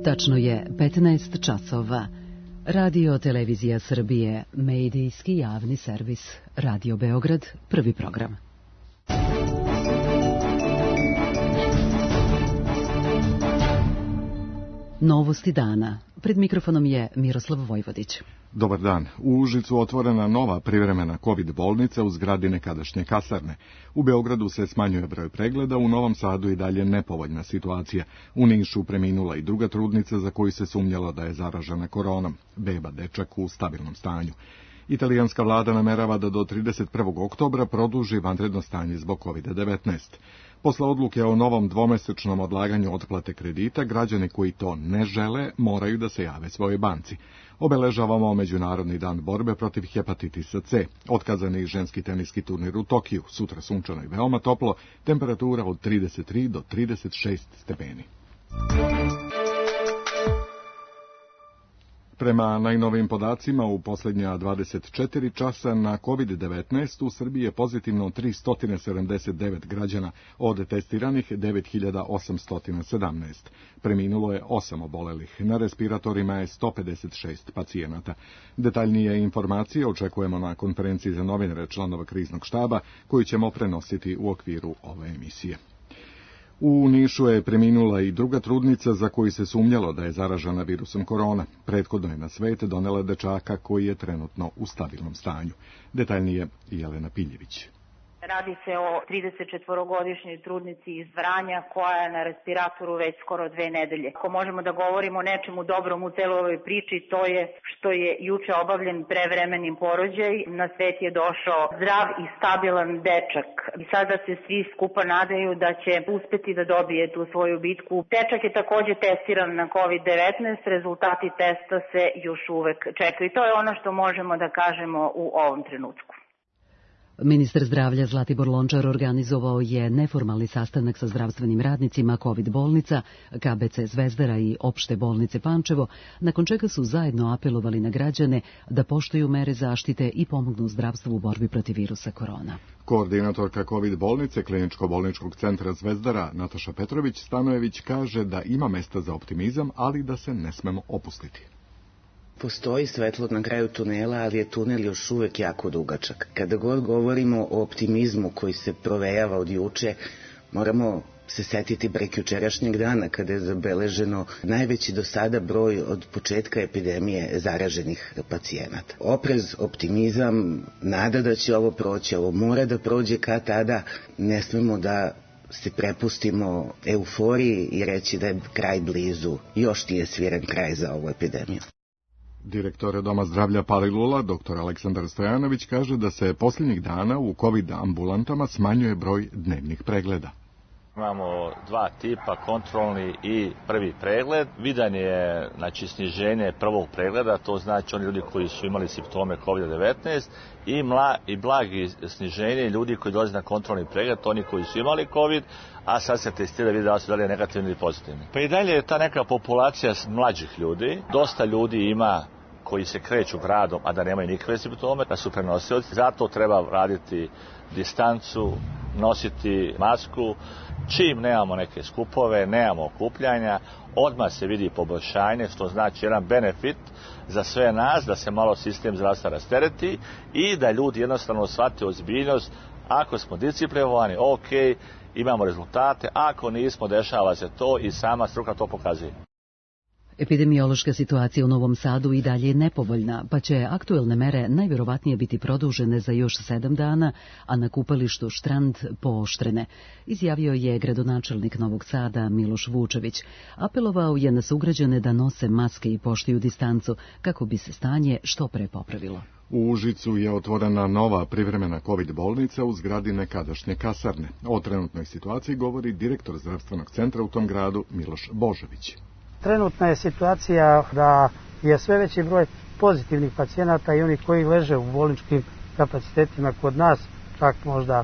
Tačno je 15 časova. Radio Televizija Srbije, medijski javni servis, Radio Beograd, prvi program. Novosti dana. Pred mikrofonom je Miroslav Vojvodić. Dobar dan. U Užicu otvorena nova privremena COVID bolnica u zgradi nekadašnje kasarne. U Beogradu se smanjuje broj pregleda, u Novom Sadu i dalje nepovoljna situacija. U Nišu preminula i druga trudnica za koju se sumnjalo da je zaražena koronom. Beba dečak u stabilnom stanju. Italijanska vlada namerava da do 31. oktobra produži vanredno stanje zbog COVID-19. Posle odluke o novom dvomesečnom odlaganju otplate kredita, građani koji to ne žele moraju da se jave svojoj banci. Obeležavamo Međunarodni dan borbe protiv hepatitisa C. Otkazani ženski teniski turnir u Tokiju, sutra sunčano i veoma toplo, temperatura od 33 do 36 stepeni. Prema najnovijim podacima, u posljednja 24 časa na COVID-19 u Srbiji je pozitivno 379 građana, od testiranih 9817. Preminulo je 8 obolelih, na respiratorima je 156 pacijenata. Detaljnije informacije očekujemo na konferenciji za novinare članova kriznog štaba, koju ćemo prenositi u okviru ove emisije. U Nišu je preminula i druga trudnica za koju se sumnjalo da je zaražena virusom korona. Prethodno je na svet donela dečaka koji je trenutno u stabilnom stanju. Detaljnije Jelena Piljević. Radi se o 34-godišnjoj trudnici iz Vranja koja je na respiratoru već skoro 2 nedelje. Ako možemo da govorimo o nečemu dobrom u celoj ovoj priči, to je što je juče obavljen prevremenim porođaj. Na svet je došao zdrav i stabilan dečak. I sada se svi skupa nadaju da će uspeti da dobije tu svoju bitku. Dečak je takođe testiran na COVID-19, rezultati testa se još uvek čekaju. I to je ono što možemo da kažemo u ovom trenutku. Ministar zdravlja Zlatibor Lončar organizovao je neformalni sastanak sa zdravstvenim radnicima COVID bolnica, KBC Zvezdara i Opšte bolnice Pančevo, nakon čega su zajedno apelovali na građane da poštuju mere zaštite i pomognu zdravstvu u borbi protiv virusa korona. Koordinatorka COVID bolnice Kliničko-bolničkog centra Zvezdara Nataša Petrović-Stanojević kaže da ima mesta za optimizam, ali da se ne smemo opustiti. Postoji svetlo na kraju tunela, ali je tunel još uvek jako dugačak. Kada god govorimo o optimizmu koji se provejava od juče, moramo se setiti prekjučerašnjeg dana kada je zabeleženo najveći do sada broj od početka epidemije zaraženih pacijenata. Oprez, optimizam, nada da će ovo proći, ovo mora da prođe kad tada, ne smemo da se prepustimo euforiji i reći da je kraj blizu. Još nije sviren kraj za ovu epidemiju. Direktor Doma zdravlja Palilula, dr. Aleksandar Stojanović, kaže da se posljednjih dana u COVID ambulantama smanjuje broj dnevnih pregleda. Imamo dva tipa, kontrolni i prvi pregled. Vidan je sniženje prvog pregleda, to znači oni ljudi koji su imali simptome COVID-19 i blagi sniženje ljudi koji dolaze na kontrolni pregled, oni koji su imali COVID, a sad se testira vidi da su dalje negativni ili pozitivni. Pa i dalje je ta neka populacija mlađih ljudi, dosta ljudi ima koji se kreću gradom, a da nemaju nikakve simptome, da su prenosioci. Zato treba raditi distancu, nositi masku. Čim nemamo neke skupove, nemamo okupljanja, odmah se vidi poboljšanje, što znači jedan benefit za sve nas, da se malo sistem zdravstva rastereti i da ljudi jednostavno shvate ozbiljnost. Ako smo disciplinovani, ok, imamo rezultate, ako nismo, dešava se to i sama struka to pokazuje. Epidemiološka situacija u Novom Sadu i dalje je nepovoljna, pa će aktuelne mere najvjerovatnije biti produžene za još 7 dana, a na kupalištu Štrand pooštrene, izjavio je gradonačelnik Novog Sada Miloš Vučević. Apelovao je na sugrađane da nose maske i poštuju distancu kako bi se stanje što pre popravilo. U Užicu je otvorena nova privremena COVID bolnica u zgradi nekadašnje kasarne. O trenutnoj situaciji govori direktor zdravstvenog centra u tom gradu Miloš Božović. Trenutna je situacija da je sve veći broj pozitivnih pacijenata i onih koji leže u bolničkim kapacitetima kod nas, čak možda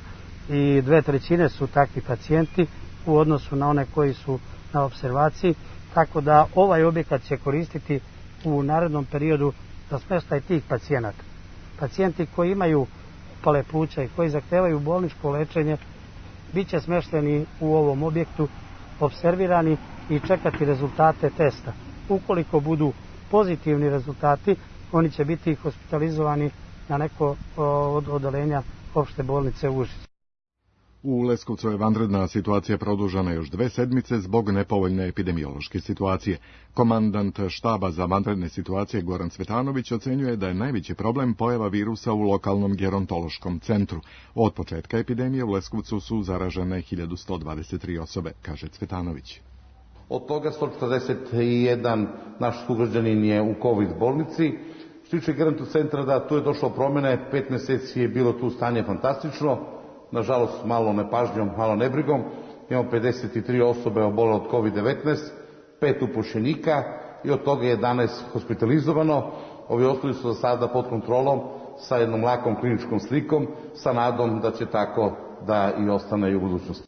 i 2/3 su takvi pacijenti u odnosu na one koji su na observaciji, tako da ovaj objekat će koristiti u narednom periodu za smještaj tih pacijenata. Pacijenti koji imaju upale pluća i koji zahtevaju bolničko lečenje bit će smješteni u ovom objektu, observirani i čekati rezultate testa. Ukoliko budu pozitivni rezultati, oni će biti hospitalizovani na neko od odeljenja opšte bolnice u Užicu. U Leskovcu je vanredna situacija produžena još 2 sedmice zbog nepovoljne epidemiološke situacije. Komandant štaba za vanredne situacije Goran Cvetanović ocenjuje da je najveći problem pojava virusa u lokalnom gerontološkom centru. Od početka epidemije u Leskovcu su zaražene 1123 osobe, kaže Cvetanović. Od toga 141 naš sugrađanin je u COVID bolnici. Što tiče geronto centra, da, tu je došlo promjene, 5 mjeseci je bilo tu stanje fantastično, nažalost malo nepažnjom, malo nebrigom. Imamo 53 osobe obolele od COVID-19, 5 upušenika i od toga 11 hospitalizovano. Ovi ostali su za sada pod kontrolom sa jednom lakom kliničkom slikom, sa nadom da će tako da i ostane i u budućnosti.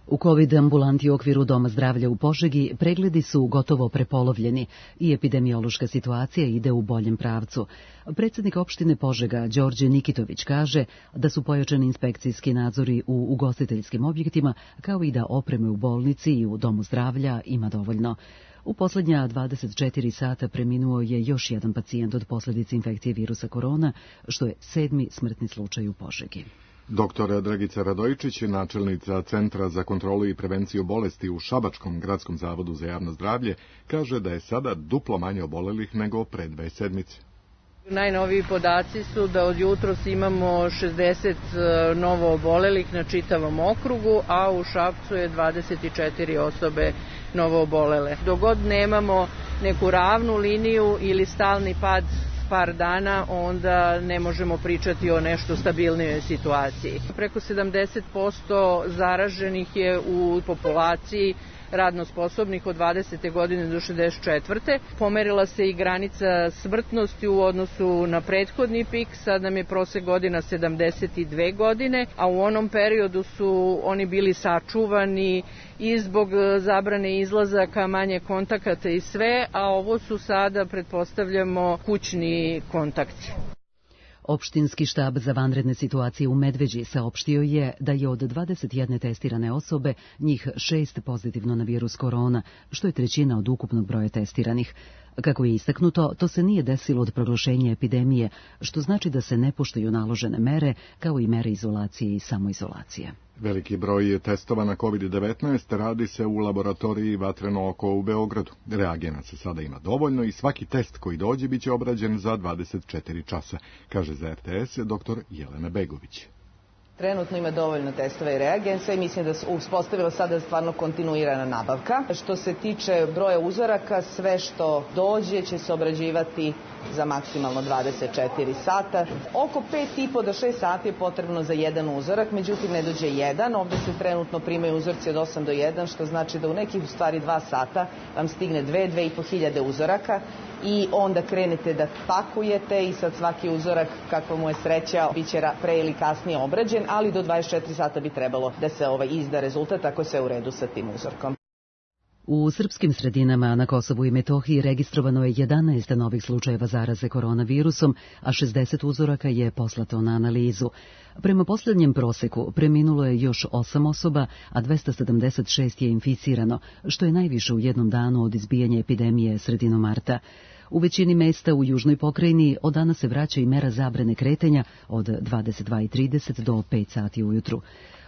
U COVID ambulanti u okviru Doma zdravlja u Požegi pregledi su gotovo prepolovljeni i epidemiološka situacija ide u boljem pravcu. Predsjednik opštine Požega, Đorđe Nikitović, kaže da su pojačani inspekcijski nadzori u ugostiteljskim objektima, kao i da opreme u bolnici i u Domu zdravlja ima dovoljno. U posljednja 24 sata preminuo je još jedan pacijent od posljedice infekcije virusa korona, što je 7. smrtni slučaj u Požegi. Dr. Dragica Radojičić, načelnica Centra za kontrolu i prevenciju bolesti u Šabačkom gradskom zavodu za javno zdravlje, kaže da je sada duplo manje obolelih nego pre 2 sedmice. Najnoviji podaci su da od jutros imamo 60 novo obolelih na čitavom okrugu, a u Šapcu je 24 osobe novo obolele. Dok god nemamo neku ravnu liniju ili stalni pad par dana, onda ne možemo pričati o nešto stabilnijoj situaciji. Preko 70% zaraženih je u populaciji radno sposobnih od 20. godine do 64. Pomerila se i granica smrtnosti u odnosu na prethodni pik, sad nam je prosek godina 72 godine, a u onom periodu su oni bili sačuvani i zbog zabrane izlazaka, manje kontakata i sve, a ovo su sada, pretpostavljamo, kućni kontakti. Opštinski štab za vanredne situacije u Medveđi saopštio je da je od 21 testirane osobe njih 6 pozitivno na virus korona, što je 1/3 od ukupnog broja testiranih. Kako je istaknuto, to se nije desilo od proglašenja epidemije, što znači da se ne poštuju naložene mere, kao i mere izolacije i samoizolacije. Veliki broj testova na COVID-19 radi se u laboratoriji Vatreno oko u Beogradu. Reagenata sada ima dovoljno i svaki test koji dođe biće obrađen za 24 časa, kaže za RTS dr. Jelena Begović. Trenutno ima dovoljno testova i reagensa i mislim da se uspostavila sada stvarno kontinuirana nabavka. Što se tiče broja uzoraka, sve što dođe će se obrađivati za maksimalno 24 sata. Oko 5,5 do 6 sati je potrebno za jedan uzorak, međutim ne dođe jedan. Ovdje se trenutno primaju uzorci od 8 do 1, što znači da u nekih u stvari 2 sata vam stigne 2,5 hiljade uzoraka i onda krenete da pakujete i sad svaki uzorak, kakva mu je sreća, bit će pre ili kasnije obrađen, ali do 24 sata bi trebalo da se izda rezultat ako je sve u redu sa tim uzorkom. U srpskim sredinama na Kosovu i Metohiji registrovano je 11 novih slučajeva zaraze koronavirusom, a 60 uzoraka je poslato na analizu. Prema posljednjem proseku preminulo je još 8 osoba, a 276 je inficirano, što je najviše u jednom danu od izbijanja epidemije sredinom marta. U većini mesta u južnoj pokrajini od danas se vraća i mera zabrane kretanja od 22:30 do 5 sati ujutru.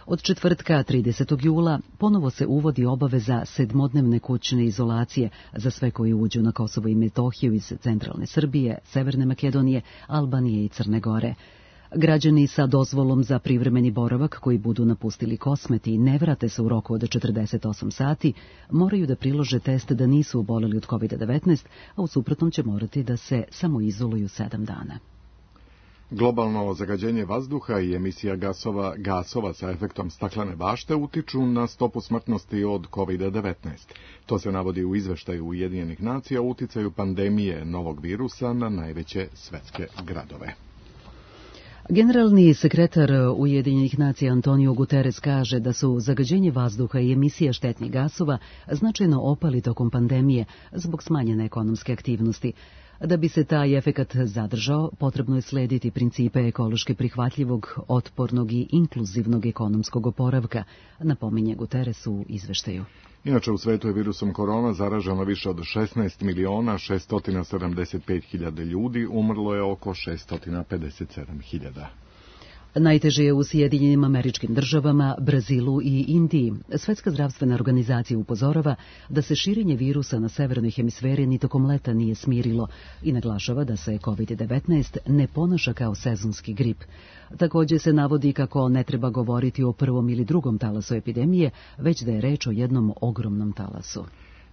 Od četvrtka 30. jula ponovo se uvodi obaveza 7-dnevne kućne izolacije za sve koji uđu na Kosovo i Metohiju iz centralne Srbije, Severne Makedonije, Albanije i Crne Gore. Građani sa dozvolom za privremeni boravak koji budu napustili Kosmet i ne vrate se u roku od 48 sati, moraju da prilože test da nisu oboleli od COVID-19, a u suprotnom će morati da se samoizoluju 7 dana. Globalno zagađenje vazduha i emisija gasova sa efektom staklene bašte utiču na stopu smrtnosti od COVID-19. To se navodi u izveštaju Ujedinjenih nacija o uticaju pandemije novog virusa na najveće svetske gradove. Generalni sekretar Ujedinjenih nacija Antonio Guterres kaže da su zagađenje vazduha i emisija štetnih gasova značajno opali tokom pandemije zbog smanjene ekonomske aktivnosti. Da bi se taj efekat zadržao, potrebno je slediti principe ekološki prihvatljivog, otpornog i inkluzivnog ekonomskog oporavka, napominje Guterres u izveštaju. Inače, u svetu je virusom korona zaraženo više od 16.675.000 ljudi, umrlo je oko 657.000. Najteže je u Sjedinjenim Američkim Državama, Brazilu i Indiji. Svetska zdravstvena organizacija upozorava da se širenje virusa na severnoj hemisferi ni tokom leta nije smirilo i naglašava da se COVID-19 ne ponaša kao sezonski grip. Također se navodi kako ne treba govoriti o prvom ili drugom talasu epidemije, već da je reč o jednom ogromnom talasu.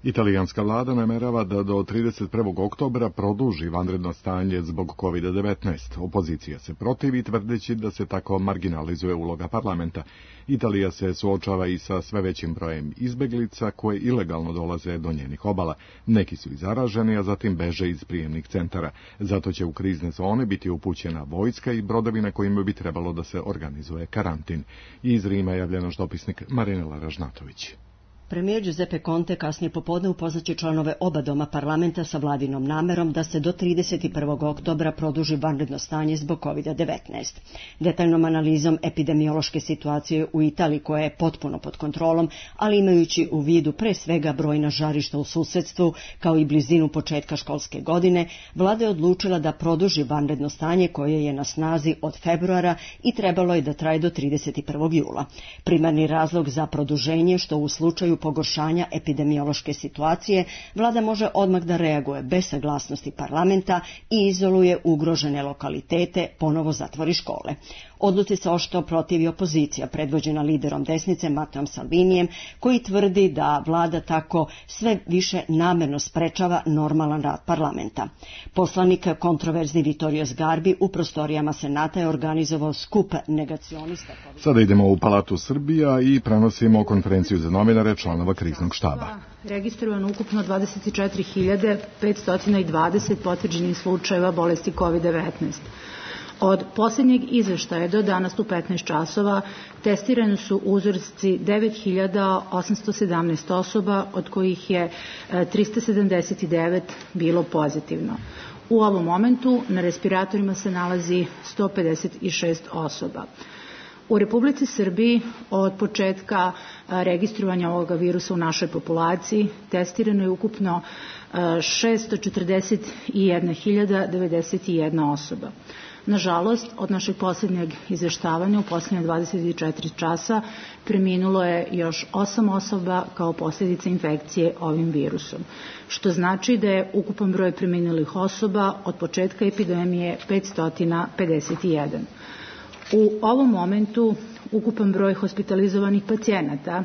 Italijanska vlada namerava da do 31. oktobra produži vanredno stanje zbog COVID-19. Opozicija se protivi tvrdeći da se tako marginalizuje uloga parlamenta. Italija se suočava i sa sve većim brojem izbeglica koje ilegalno dolaze do njenih obala. Neki su i zaraženi, a zatim beže iz prijemnih centara. Zato će u krizne zone biti upućena vojska i brodovi na kojima bi trebalo da se organizuje karantin. Iz Rima javlja naš dopisnik Marinela Ražnatović. Premijer Giuseppe Conte kasnije popodne upoznaće članove oba doma parlamenta sa vladinom namerom da se do 31. oktobra produži vanredno stanje zbog COVID-19. Detaljnom analizom epidemiološke situacije u Italiji koja je potpuno pod kontrolom, ali imajući u vidu pre svega brojna žarišta u susedstvu kao i blizinu početka školske godine, vlada je odlučila da produži vanredno stanje koje je na snazi od februara i trebalo je da traje do 31. jula. Primarni razlog za produženje što u slučaju pogoršanja epidemiološke situacije, vlada može odmah da reaguje bez saglasnosti parlamenta i izoluje ugrožene lokalitete, ponovo zatvori škole. Odluci se oštro protivi opozicija, predvođena liderom desnice Matteom Salvinijem, koji tvrdi da vlada tako sve više namerno sprečava normalan rad parlamenta. Poslanik kontroverzni Vittorio Sgarbi u prostorijama Senata je organizovao skup negacionista. Sada idemo u Palatu Srbija i prenosimo konferenciju za novinare članova kriznog štaba. Registrovano ukupno 24.520 potvrđenih slučajeva bolesti COVID-19. Od posljednjeg izveštaja do danas u 15 časova testirani su uzorci 9.817 osoba, od kojih je 379 bilo pozitivno. U ovom momentu na respiratorima se nalazi 156 osoba. U Republici Srbiji od početka registrovanja ovoga virusa u našoj populaciji testirano je ukupno 641.091 osoba. Nažalost, od našeg posljednjeg izveštavanja u posljednje 24 časa preminulo je još 8 osoba kao posljedica infekcije ovim virusom, što znači da je ukupan broj preminulih osoba od početka epidemije 551. U ovom momentu ukupan broj hospitalizovanih pacijenata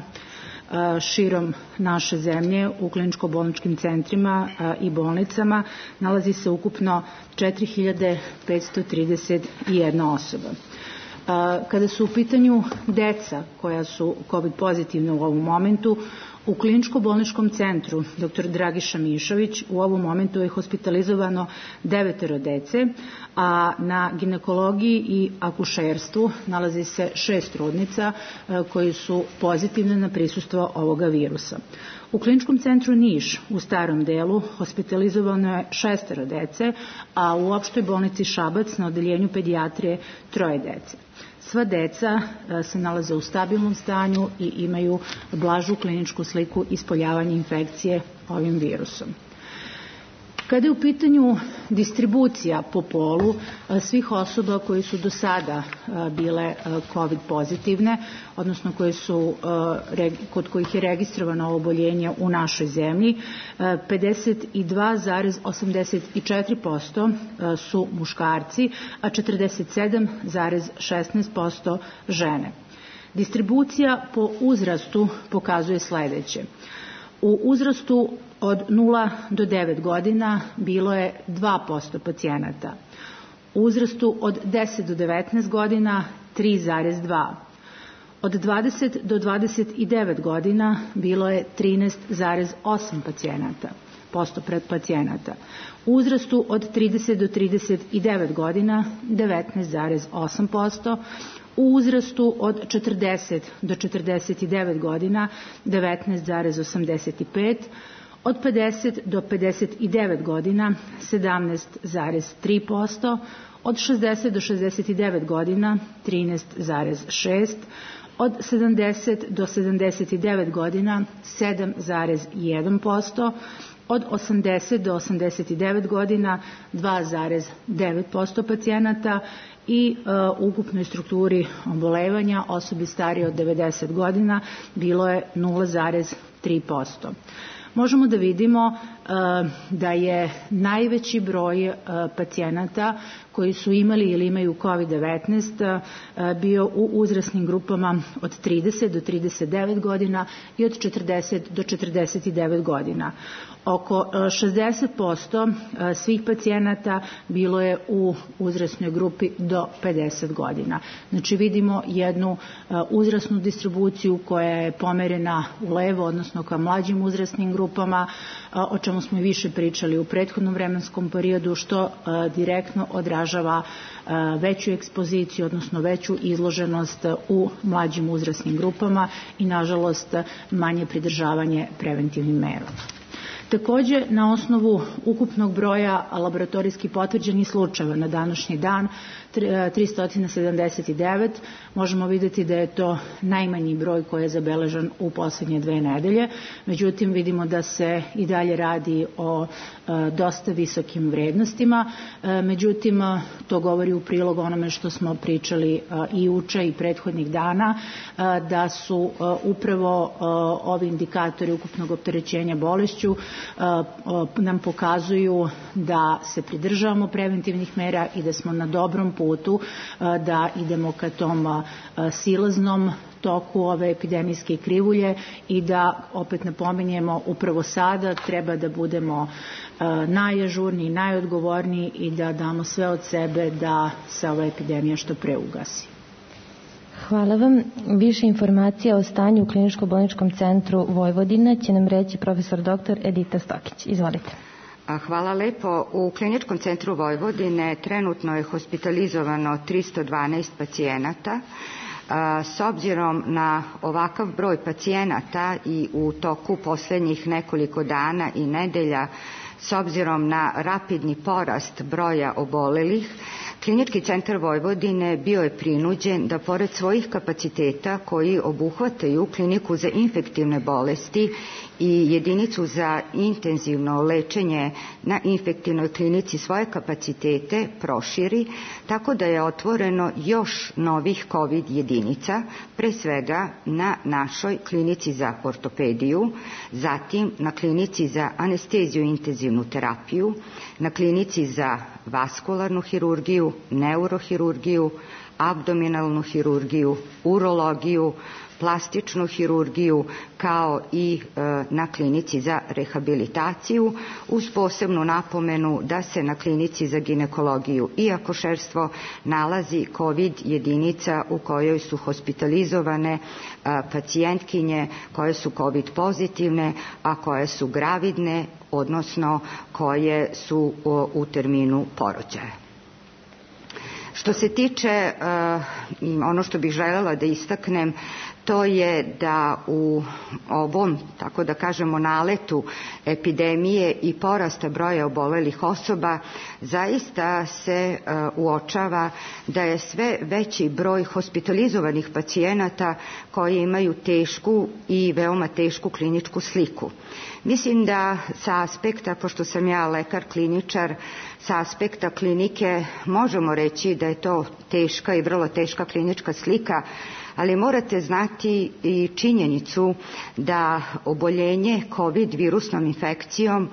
širom naše zemlje u kliničko-bolničkim centrima i bolnicama nalazi se ukupno 4.531 osoba. Kada su u pitanju deca koja su COVID pozitivna u ovom momentu, u kliničko-bolničkom centru dr. Dragiša Mišović u ovom momentu je hospitalizovano 9 dece, a na ginekologiji i akušerstvu nalazi se 6 trudnica koji su pozitivne na prisustvo ovoga virusa. U kliničkom centru Niš u starom delu hospitalizovano je 6 dece, a u opštoj bolnici Šabac na odeljenju pedijatrije 3 dece. Sva deca se nalaze u stabilnom stanju i imaju blažu kliničku sliku ispoljavanja infekcije ovim virusom. Kada je u pitanju distribucija po polu svih osoba koji su do sada bile COVID pozitivne, odnosno kod kojih je registrovano oboljenje u našoj zemlji, 52,84% su muškarci, a 47,16% žene. Distribucija po uzrastu pokazuje sledeće. U uzrastu od 0 do 9 godina bilo je 2% pacijenata. U uzrastu od 10 do 19 godina 3,2%. Od 20 do 29 godina bilo je 13,8% pacijenata. U uzrastu od 30 do 39 godina 19,8%. U uzrastu od 40 do 49 godina 19,85%, Od 50 do 59 godina 17,3%, od 60 do 69 godina 13,6%, od 70 do 79 godina 7,1%, od 80 do 89 godina 2,9% pacijenata i u ukupnoj strukturi obolevanja osobi starije od 90 godina bilo je 0,3%. Možemo da vidimo da je najveći broj pacijenata koji su imali ili imaju COVID-19 bio u uzrasnim grupama od 30 do 39 godina i od 40 do 49 godina. Oko 60% svih pacijenata bilo je u uzrasnoj grupi do 50 godina. Znači vidimo jednu uzrasnu distribuciju koja je pomerena u levo, odnosno ka mlađim uzrasnim grupama, o čemu smo i više pričali u prethodnom vremenskom periodu, što direktno odražava veću ekspoziciju, odnosno veću izloženost u mlađim uzrasnim grupama i nažalost manje pridržavanje preventivnim merama. Takođe, na osnovu ukupnog broja laboratorijski potvrđenih slučajeva na današnji dan, 379, možemo vidjeti da je to najmanji broj koji je zabeležen u poslednje 2 nedelje. Međutim, vidimo da se i dalje radi o dosta visokim vrednostima. Međutim, to govori u prilog onome što smo pričali i juče i prethodnih dana, da su upravo ovi indikatori ukupnog opterećenja bolešću nam pokazuju da se pridržavamo preventivnih mera i da smo na dobrom putu da idemo ka tom silaznom toku ove epidemijske krivulje i da, opet napominjemo, upravo sada treba da budemo najažurniji, najodgovorniji i da damo sve od sebe da se ova epidemija što pre ugasi. Hvala vam. Više informacija o stanju u Kliničko-bolničkom centru Vojvodina će nam reći profesor dr. Edita Stokić. Izvolite. Hvala lepo. U Kliničkom centru Vojvodine trenutno je hospitalizovano 312 pacijenata. S obzirom na ovakav broj pacijenata i u toku poslednjih nekoliko dana i nedelja, s obzirom na rapidni porast broja obolelih, Klinički centar Vojvodine bio je prinuđen da pored svojih kapaciteta koji obuhvataju kliniku za infektivne bolesti i jedinicu za intenzivno lečenje na infektivnoj klinici svoje kapacitete proširi, tako da je otvoreno još novih COVID jedinica, pre svega na našoj klinici za ortopediju, zatim na klinici za anesteziju i intenzivnu terapiju, na klinici za vaskularnu hirurgiju, neurohirurgiju, abdominalnu hirurgiju, urologiju, plastičnu hirurgiju, kao i na klinici za rehabilitaciju, uz posebnu napomenu da se na klinici za ginekologiju i akušerstvo nalazi COVID jedinica u kojoj su hospitalizovane pacijentkinje koje su COVID pozitivne, a koje su gravidne, odnosno koje su u terminu porođaja. Što se tiče, ono što bih želela da istaknem, to je da u ovom, tako da kažemo, naletu epidemije i porasta broja obolelih osoba zaista se uočava da je sve veći broj hospitalizovanih pacijenata koji imaju tešku i veoma tešku kliničku sliku. Mislim da sa aspekta, pošto sam ja lekar kliničar, sa aspekta klinike možemo reći da je to teška i vrlo teška klinička slika, ali morate znati i činjenicu da oboljenje COVID virusnom infekcijom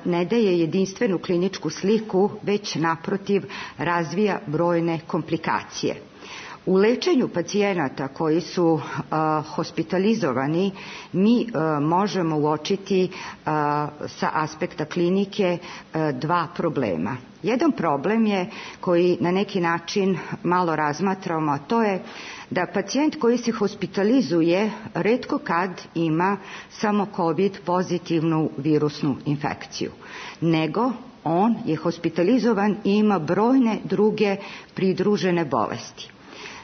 ne daje jedinstvenu kliničku sliku, već naprotiv razvija brojne komplikacije. U lečenju pacijenata koji su hospitalizovani mi možemo uočiti sa aspekta klinike dva problema. Jedan problem je koji na neki način malo razmatramo, a to je da pacijent koji se hospitalizuje retko kad ima samo COVID pozitivnu virusnu infekciju, nego on je hospitalizovan i ima brojne druge pridružene bolesti.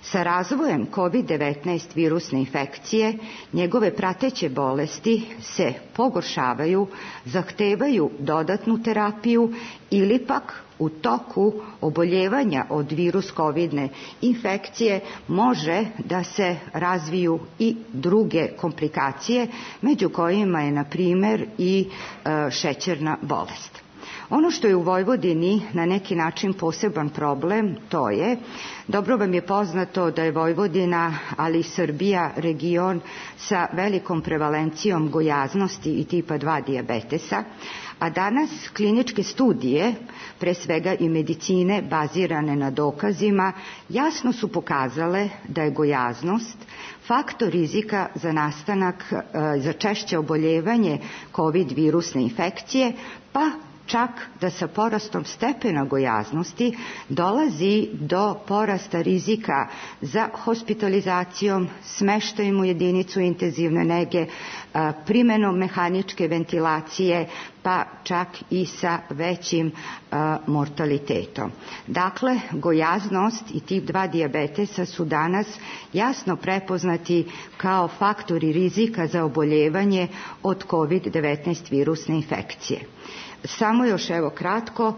Sa razvojem COVID-19 virusne infekcije, njegove prateće bolesti se pogoršavaju, zahtevaju dodatnu terapiju ili pak u toku oboljevanja od virus COVID-ne infekcije može da se razviju i druge komplikacije, među kojima je, na primjer, i šećerna bolest. Ono što je u Vojvodini na neki način poseban problem, to je, dobro vam je poznato da je Vojvodina, ali i Srbija, region sa velikom prevalencijom gojaznosti i tipa 2 dijabetesa, a danas kliničke studije, pre svega i medicine bazirane na dokazima, jasno su pokazale da je gojaznost faktor rizika za nastanak, za češće oboljevanje COVID virusne infekcije, pa čak da sa porastom stepena gojaznosti dolazi do porasta rizika za hospitalizacijom, smeštajem u jedinicu intenzivne nege, primenom mehaničke ventilacije, pa čak i sa većim mortalitetom. Dakle, gojaznost i tip 2 dijabetesa su danas jasno prepoznati kao faktori rizika za oboljevanje od COVID-19 virusne infekcije. Samo još evo kratko,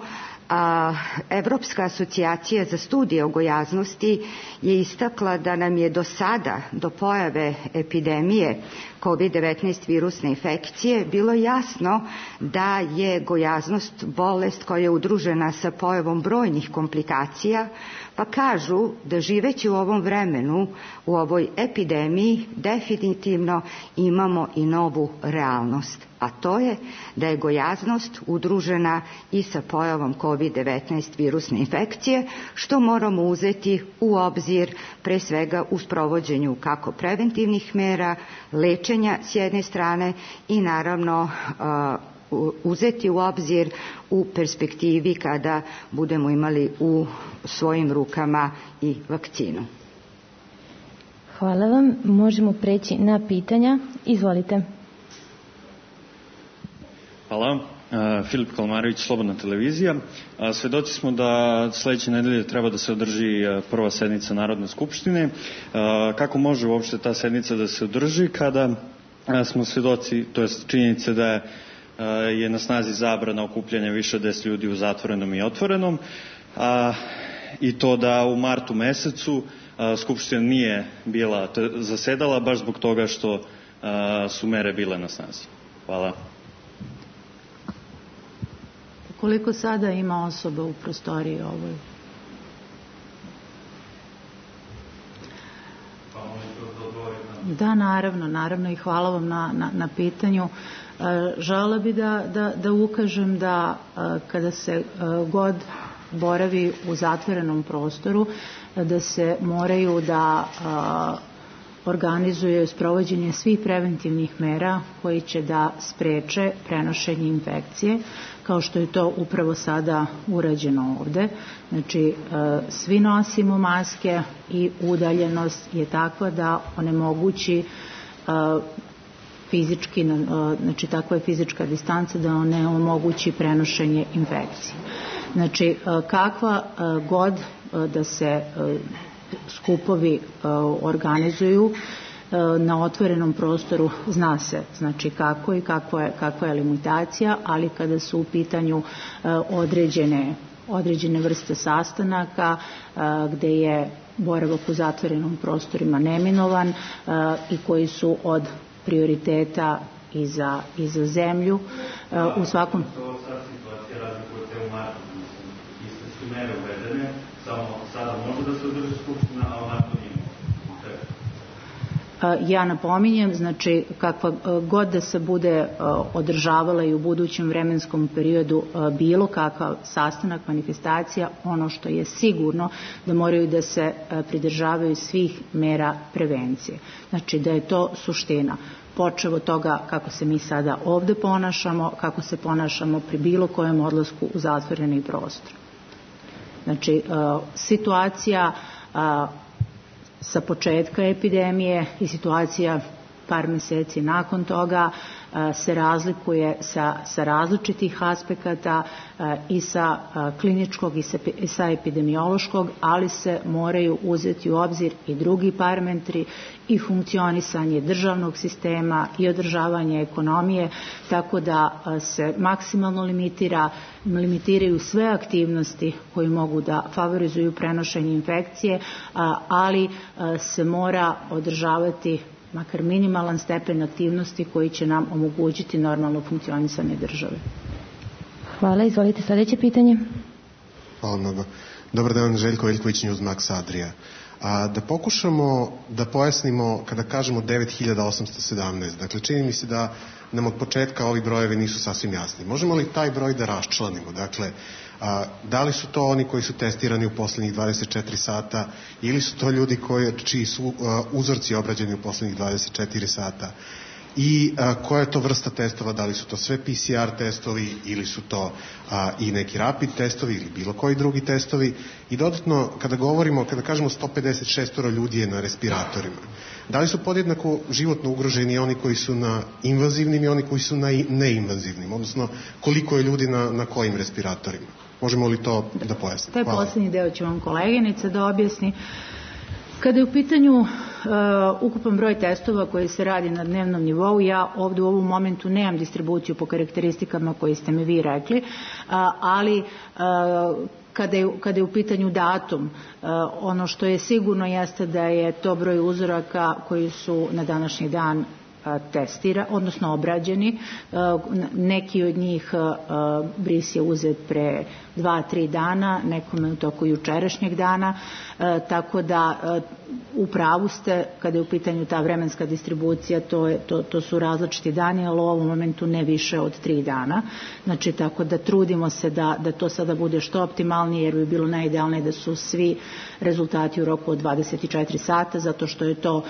Evropska asocijacija za studije o gojaznosti je istakla da nam je do sada, do pojave epidemije COVID-19 virusne infekcije, bilo jasno da je gojaznost bolest koja je udružena sa pojavom brojnih komplikacija, pa kažu da živeći u ovom vremenu, u ovoj epidemiji, definitivno imamo i novu realnost, a to je da je gojaznost udružena i sa pojavom COVID-19 virusne infekcije, što moramo uzeti u obzir pre svega u sprovođenju kako preventivnih mera, lečenja s jedne strane i naravno uzeti u obzir u perspektivi kada budemo imali u svojim rukama i vakcinu. Hvala vam. Možemo preći na pitanja. Izvolite. Hvala. Filip Kalmarević, Slobodna televizija. Svedoci smo da sledeće nedelje treba da se održi prva sednica Narodne skupštine. Kako može uopšte ta sednica da se održi kada smo svedoci, to je činjenice da je na snazi zabrana okupljanja više od 10 ljudi u zatvorenom i otvorenom, i to da u martu mesecu Skupština nije bila zasedala baš zbog toga što su mere bile na snazi. Hvala. Koliko sada ima osoba u prostoriji ovoj? Da, naravno i hvala vam na pitanju. Želela bi da ukažem da kada se god boravi u zatvorenom prostoru, da se moraju da organizuje sprovođenje svih preventivnih mera koji će da spreče prenošenje infekcije, kao što je to upravo sada urađeno ovde. Znači, svi nosimo maske i udaljenost je takva da onemogući fizički, znači takva je fizička distanca da ne omogući prenošenje infekcije. Znači, kakva god da se skupovi organizuju na otvorenom prostoru, zna se znači kako i kakva je limitacija, ali kada su u pitanju određene vrste sastanaka gde je boravak u zatvorenom prostorima neminovan i koji su od prioriteta i za zemlju u svakom... Mere uvedene, samo sada može da se održi skupština, a onako nije. Ja napominjem, znači kakva god da se bude održavala i u budućem vremenskom periodu bilo kakav sastanak, manifestacija, ono što je sigurno da moraju da se pridržavaju svih mera prevencije. Znači da je to suština. Počev od toga kako se mi sada ovde ponašamo, kako se ponašamo pri bilo kojem odlasku u zatvoreni prostor. Znači, situacija sa početka epidemije i situacija par meseci nakon toga se razlikuje sa različitih aspekata i sa kliničkog i sa epidemiološkog, ali se moraju uzeti u obzir i drugi parametri i funkcionisanje državnog sistema i održavanje ekonomije, tako da se maksimalno limitiraju sve aktivnosti koje mogu da favorizuju prenošenje infekcije, ali se mora održavati makar minimalan stepen aktivnosti koji će nam omogućiti normalno funkcionisanje države. Hvala, izvolite sledeće pitanje. Hvala mnogo. Dobar dan, Željko Veljković, Newsmax Adria. Da pokušamo da pojasnimo kada kažemo 9817, dakle čini mi se da nam od početka ovi brojevi nisu sasvim jasni. Možemo li taj broj da raščlanimo? Dakle, da li su to oni koji su testirani u poslednjih 24 sata ili su to ljudi čiji su uzorci obrađeni u poslednjih 24 sata? I koja je to vrsta testova, da li su to sve PCR testovi ili su to i neki rapid testovi ili bilo koji drugi testovi. I dodatno, kada kažemo 156 ljudi je na respiratorima, da li su podjednako životno ugroženi oni koji su na invazivnim i oni koji su na neinvazivnim, odnosno koliko je ljudi na kojim respiratorima? Možemo li to da pojasnimo? Taj poslednji deo će vam koleginica da objasni. Kada je u pitanju ukupan broj testova koji se radi na dnevnom nivou, ja ovdje u ovom momentu nemam distribuciju po karakteristikama koji ste mi vi rekli, ali kada je u pitanju datum, ono što je sigurno jeste da je to broj uzoraka koji su na današnji dan odnosno obrađeni. Neki od njih bris je uzet pre 2-3 dana, nekome u toku jučerašnjeg dana, tako da u pravu ste kada je u pitanju ta vremenska distribucija, to su različiti dani, ali u ovom momentu ne više od 3 dana. Znači, tako da trudimo se da to sada bude što optimalnije, jer bi bilo najidealnije da su svi rezultati u roku od 24 sata, zato što je to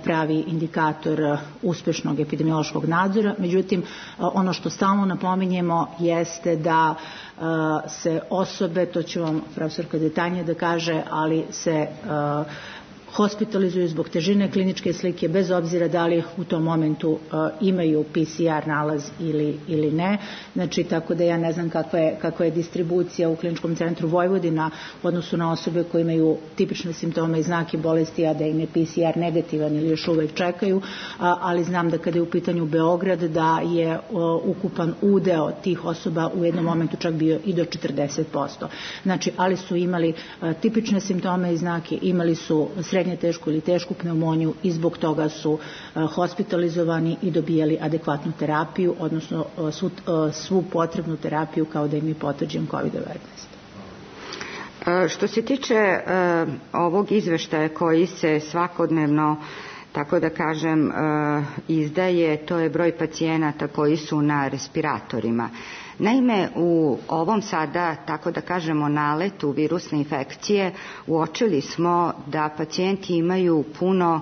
pravi indikator uspešnog epidemiološkog nadzora. Međutim, ono što stalno napominjemo jeste da se osobe, to će vam profesorka detaljnije da kaže, ali se hospitalizuju zbog težine kliničke slike bez obzira da li u tom momentu imaju PCR nalaz ili ne. Znači, tako da ja ne znam kakva je distribucija u Kliničkom centru Vojvodina u odnosu na osobe koje imaju tipične simptome i znake bolesti, a da im je PCR negativan ili još uvek čekaju, ali znam da kada je u pitanju Beograd da je ukupan udeo tih osoba u jednom momentu čak bio i do 40%. Znači, ali su imali tipične simptome i znake, imali su srednje tešku ili tešku pneumoniju i zbog toga su hospitalizovani i dobijali adekvatnu terapiju, odnosno svu potrebnu terapiju kao da im je potvrđen COVID-19. Što se tiče ovog izveštaja koji se svakodnevno, tako da kažem, izdaje, to je broj pacijenata koji su na respiratorima. Naime, u ovom sada, tako da kažemo, naletu virusne infekcije uočili smo da pacijenti imaju puno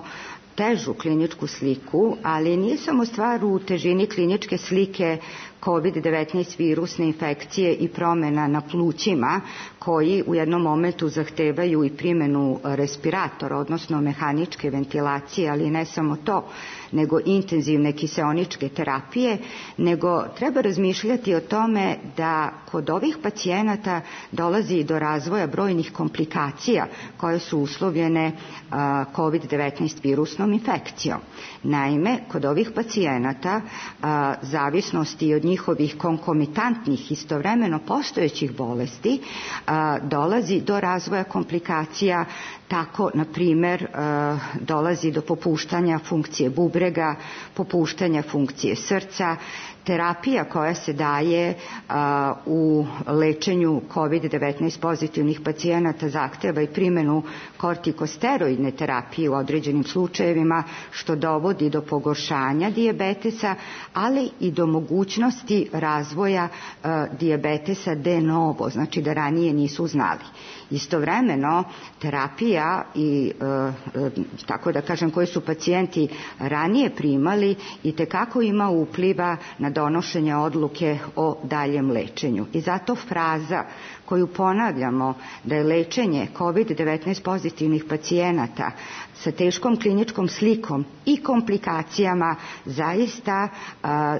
težu kliničku sliku, ali nije samo stvar u težini kliničke slike COVID-19 virusne infekcije i promjena na plućima koji u jednom momentu zahtevaju i primjenu respiratora, odnosno mehaničke ventilacije, ali ne samo to, nego intenzivne kiseoničke terapije, nego treba razmišljati o tome da kod ovih pacijenata dolazi do razvoja brojnih komplikacija koje su uslovljene COVID-19 virusnom infekcijom. Naime, kod ovih pacijenata zavisnosti od njihovih konkomitantnih istovremeno postojećih bolesti dolazi do razvoja komplikacija. Tako, na primjer, dolazi do popuštanja funkcije bubrega, popuštanja funkcije srca. Terapija koja se daje u lečenju COVID-19 pozitivnih pacijenata zahteva i primjenu kortikosteroidne terapije u određenim slučajevima, što dovodi do pogoršanja dijabetesa, ali i do mogućnosti razvoja dijabetesa de novo, znači da ranije nisu znali. Istovremeno, terapija i tako da kažem koje su pacijenti ranije primali itekako ima upliva na donošenje odluke o daljem lečenju. I zato fraza koju ponavljamo da je lečenje COVID-19 pozitivnih pacijenata sa teškom kliničkom slikom i komplikacijama zaista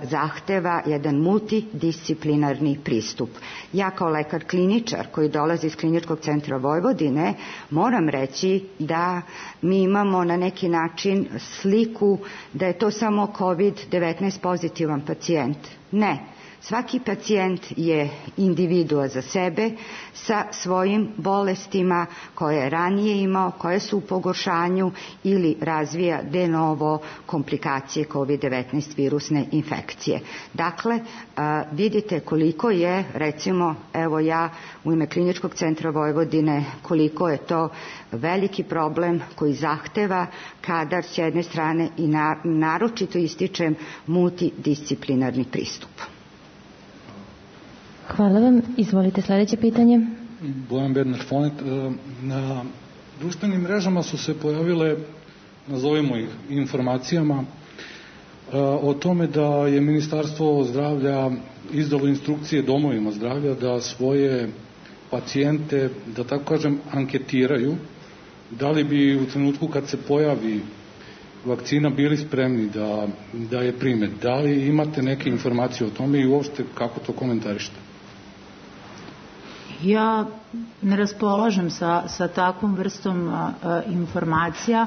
zahteva jedan multidisciplinarni pristup. Ja kao lekar kliničar koji dolazi iz Kliničkog centra Vojvodine moram reći da mi imamo na neki način sliku da je to samo COVID-19 pozitivan pacijent. Ne. Svaki pacijent je individua za sebe sa svojim bolestima koje je ranije imao, koje su u pogoršanju ili razvija de novo komplikacije COVID-19 virusne infekcije. Dakle, vidite koliko je, recimo, evo ja u ime Kliničkog centra Vojvodine, koliko je to veliki problem koji zahteva kadar s jedne strane i naročito ističem multidisciplinarni pristup. Hvala vam. Izvolite sljedeće pitanje. Bojan Bernard Fonet. Na društvenim mrežama su se pojavile, nazovimo ih informacijama, o tome da je Ministarstvo zdravlja izdalo instrukcije domovima zdravlja da svoje pacijente, da tako kažem, anketiraju da li bi u trenutku kad se pojavi vakcina bili spremni da je prime. Da li imate neke informacije o tome i uopšte kako to komentarišete? Ja ne raspolažem sa takvom vrstom informacija,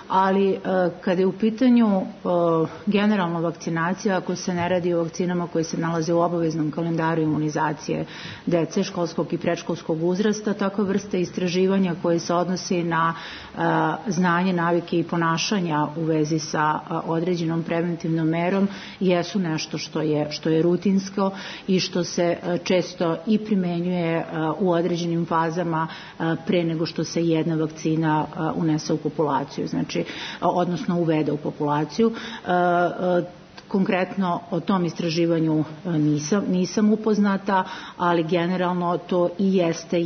ali kada je u pitanju generalno vakcinacija, ako se ne radi o vakcinama koje se nalaze u obaveznom kalendaru imunizacije dece školskog i predškolskog uzrasta, takva vrsta istraživanja koje se odnosi na znanje, navike i ponašanja u vezi sa određenom preventivnom merom jesu nešto što je rutinsko i što se često i primenjuje u određenim fazama pre nego što se jedna vakcina unese u populaciju. Znači, odnosno uvede u populaciju. Konkretno o tom istraživanju nisam upoznata, ali generalno to i jeste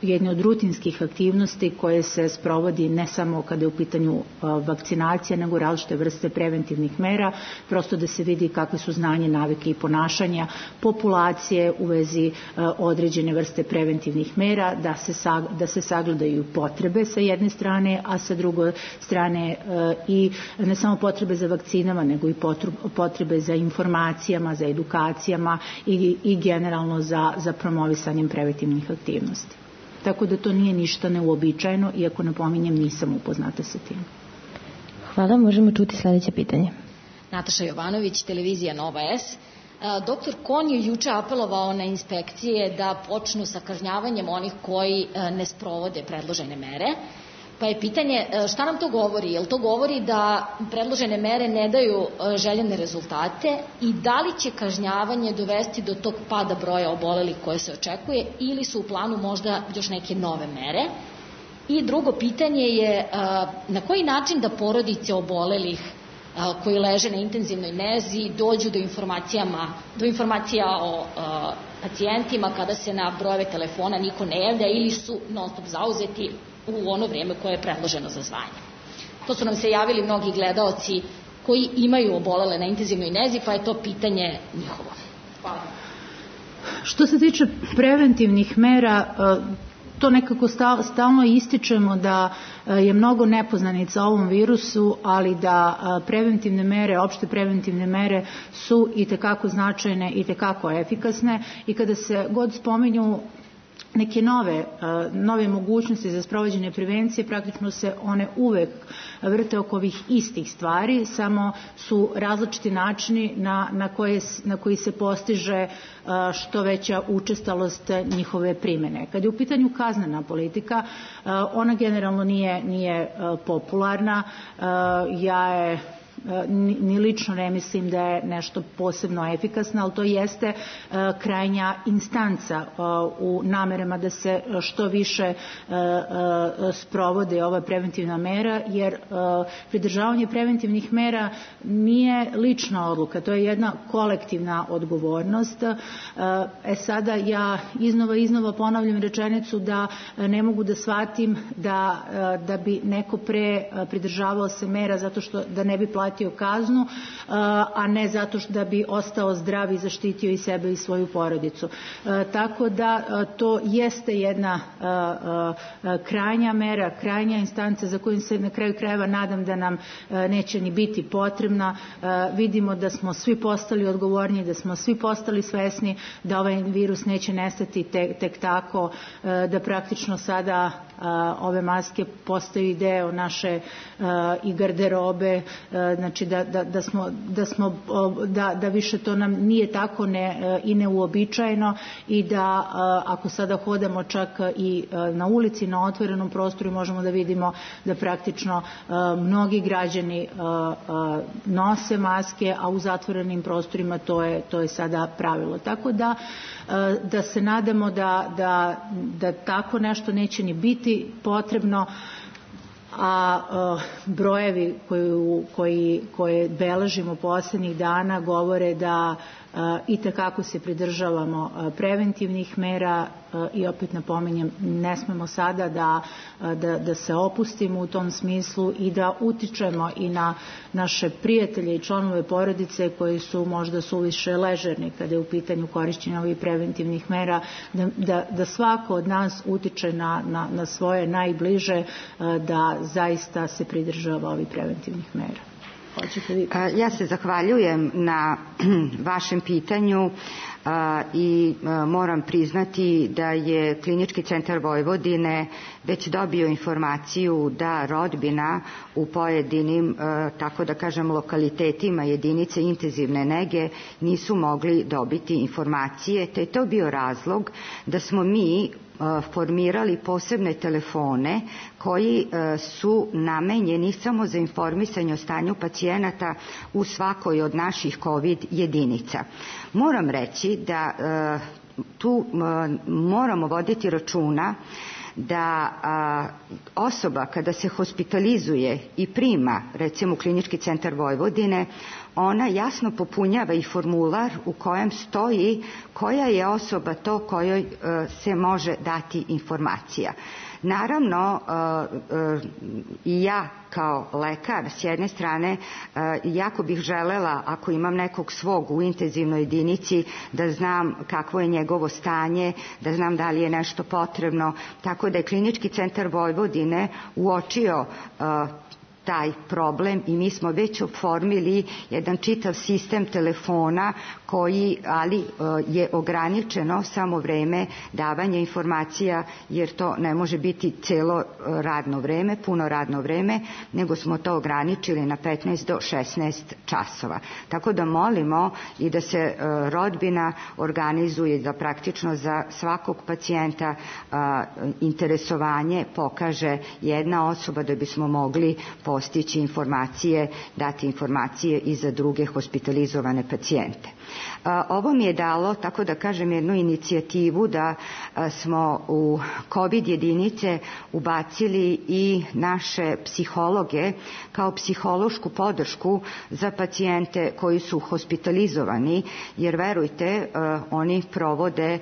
jedne od rutinskih aktivnosti koje se sprovodi ne samo kada je u pitanju vakcinacija, nego različite vrste preventivnih mera, prosto da se vidi kakve su znanje, navike i ponašanja populacije u vezi određene vrste preventivnih mera, da se sagledaju potrebe sa jedne strane, a sa druge strane i ne samo potrebe za vakcinama, nego i potrebe za informacijama, za edukacijama i generalno za promovisanjem preventivnih aktivnosti. Tako da to nije ništa neuobičajeno, iako napominjem nisam upoznata sa tim. Hvala, možemo čuti sljedeće pitanje. Nataša Jovanović, televizija Nova S. Doktor Kon je juče apelovao na inspekcije da počnu sa kažnjavanjem onih koji ne sprovode predložene mere. Pa je pitanje šta nam to govori? Jel to govori da predložene mere ne daju željene rezultate i da li će kažnjavanje dovesti do tog pada broja obolelih koje se očekuje ili su u planu možda još neke nove mere? I drugo pitanje je na koji način da porodice obolelih koji leže na intenzivnoj nezi dođu do informacija o pacijentima kada se na brojeve telefona niko ne javlja ili su non stop zauzeti u ono vrijeme koje je predloženo za zvanje. To su nam se javili mnogi gledaoci koji imaju obolele na intenzivnoj nezi, pa je to pitanje njihovo. Hvala. Što se tiče preventivnih mera, to nekako stalno ističemo da je mnogo nepoznanica o ovom virusu, ali da preventivne mere, opšte preventivne mere su itekako značajne, itekako efikasne i kada se god spominju neke nove mogućnosti za sprovođenje prevencije, praktično se one uvek vrte oko ovih istih stvari, samo su različiti načini na koji se postiže što veća učestalost njihove primjene. Kad je u pitanju kaznena politika, ona generalno nije popularna. Ni lično ne mislim da je nešto posebno efikasno, ali to jeste krajnja instanca u namerama da se što više sprovode ova preventivna mera, jer pridržavanje preventivnih mera nije lična odluka, to je jedna kolektivna odgovornost. Sada ja iznova ponavljam rečenicu da ne mogu da shvatim da bi neko pridržavao se mera zato što da ne bi platio platio kaznu, a ne zato da bi ostao zdrav i zaštitio i sebe i svoju porodicu. Tako da to jeste jedna krajnja mera, krajnja instanca za koju se na kraju krajeva nadam da nam neće ni biti potrebna. Vidimo da smo svi postali odgovorni, da smo svi postali svesni da ovaj virus neće nestati tek tako, da praktično sada ove maske postaju deo naše i garderobe, znači da više to nam nije tako i neuobičajeno i da ako sada hodamo čak i na ulici, na otvorenom prostoru, možemo da vidimo da praktično mnogi građani nose maske, a u zatvorenim prostorima to je sada pravilo. Tako da se nadamo da tako nešto neće ni biti potrebno, a brojevi koje beležimo poslednjih dana govore da i takako se pridržavamo preventivnih mera i opet napominjem, ne smemo sada da se opustimo u tom smislu i da utičemo i na naše prijatelje i članove porodice koji su možda suviše ležerni kada je u pitanju korišćenja ovih preventivnih mera, da svako od nas utiče na svoje najbliže da zaista se pridržava ovih preventivnih mera. Ja se zahvaljujem na vašem pitanju i moram priznati da je Klinički centar Vojvodine već dobio informaciju da rodbina u pojedinim, tako da kažem, lokalitetima jedinice intenzivne nege nisu mogli dobiti informacije, te je to bio razlog da smo mi formirali posebne telefone koji su namenjeni samo za informisanje o stanju pacijenata u svakoj od naših COVID jedinica. Moram reći da tu moramo voditi računa da osoba kada se hospitalizuje i prima recimo u Klinički centar Vojvodine, ona jasno popunjava i formular u kojem stoji koja je osoba to kojoj se može dati informacija. Naravno, i ja kao lekar s jedne strane jako bih želela, ako imam nekog svog u intenzivnoj jedinici, da znam kakvo je njegovo stanje, da znam da li je nešto potrebno, tako da je Klinički centar Vojvodine uočio taj problem i mi smo već oformili jedan čitav sistem telefona koji, ali je ograničeno samo vreme davanja informacija, jer to ne može biti celo radno vreme, puno radno vreme, nego smo to ograničili na 15 do 16 časova. Tako da molimo i da se rodbina organizuje, da praktično za svakog pacijenta interesovanje pokaže jedna osoba da bismo mogli postići informacije, dati informacije i za druge hospitalizovane pacijente. Ovo mi je dalo, tako da kažem, jednu inicijativu da smo u COVID jedinice ubacili i naše psihologe kao psihološku podršku za pacijente koji su hospitalizovani, jer verujte, oni provode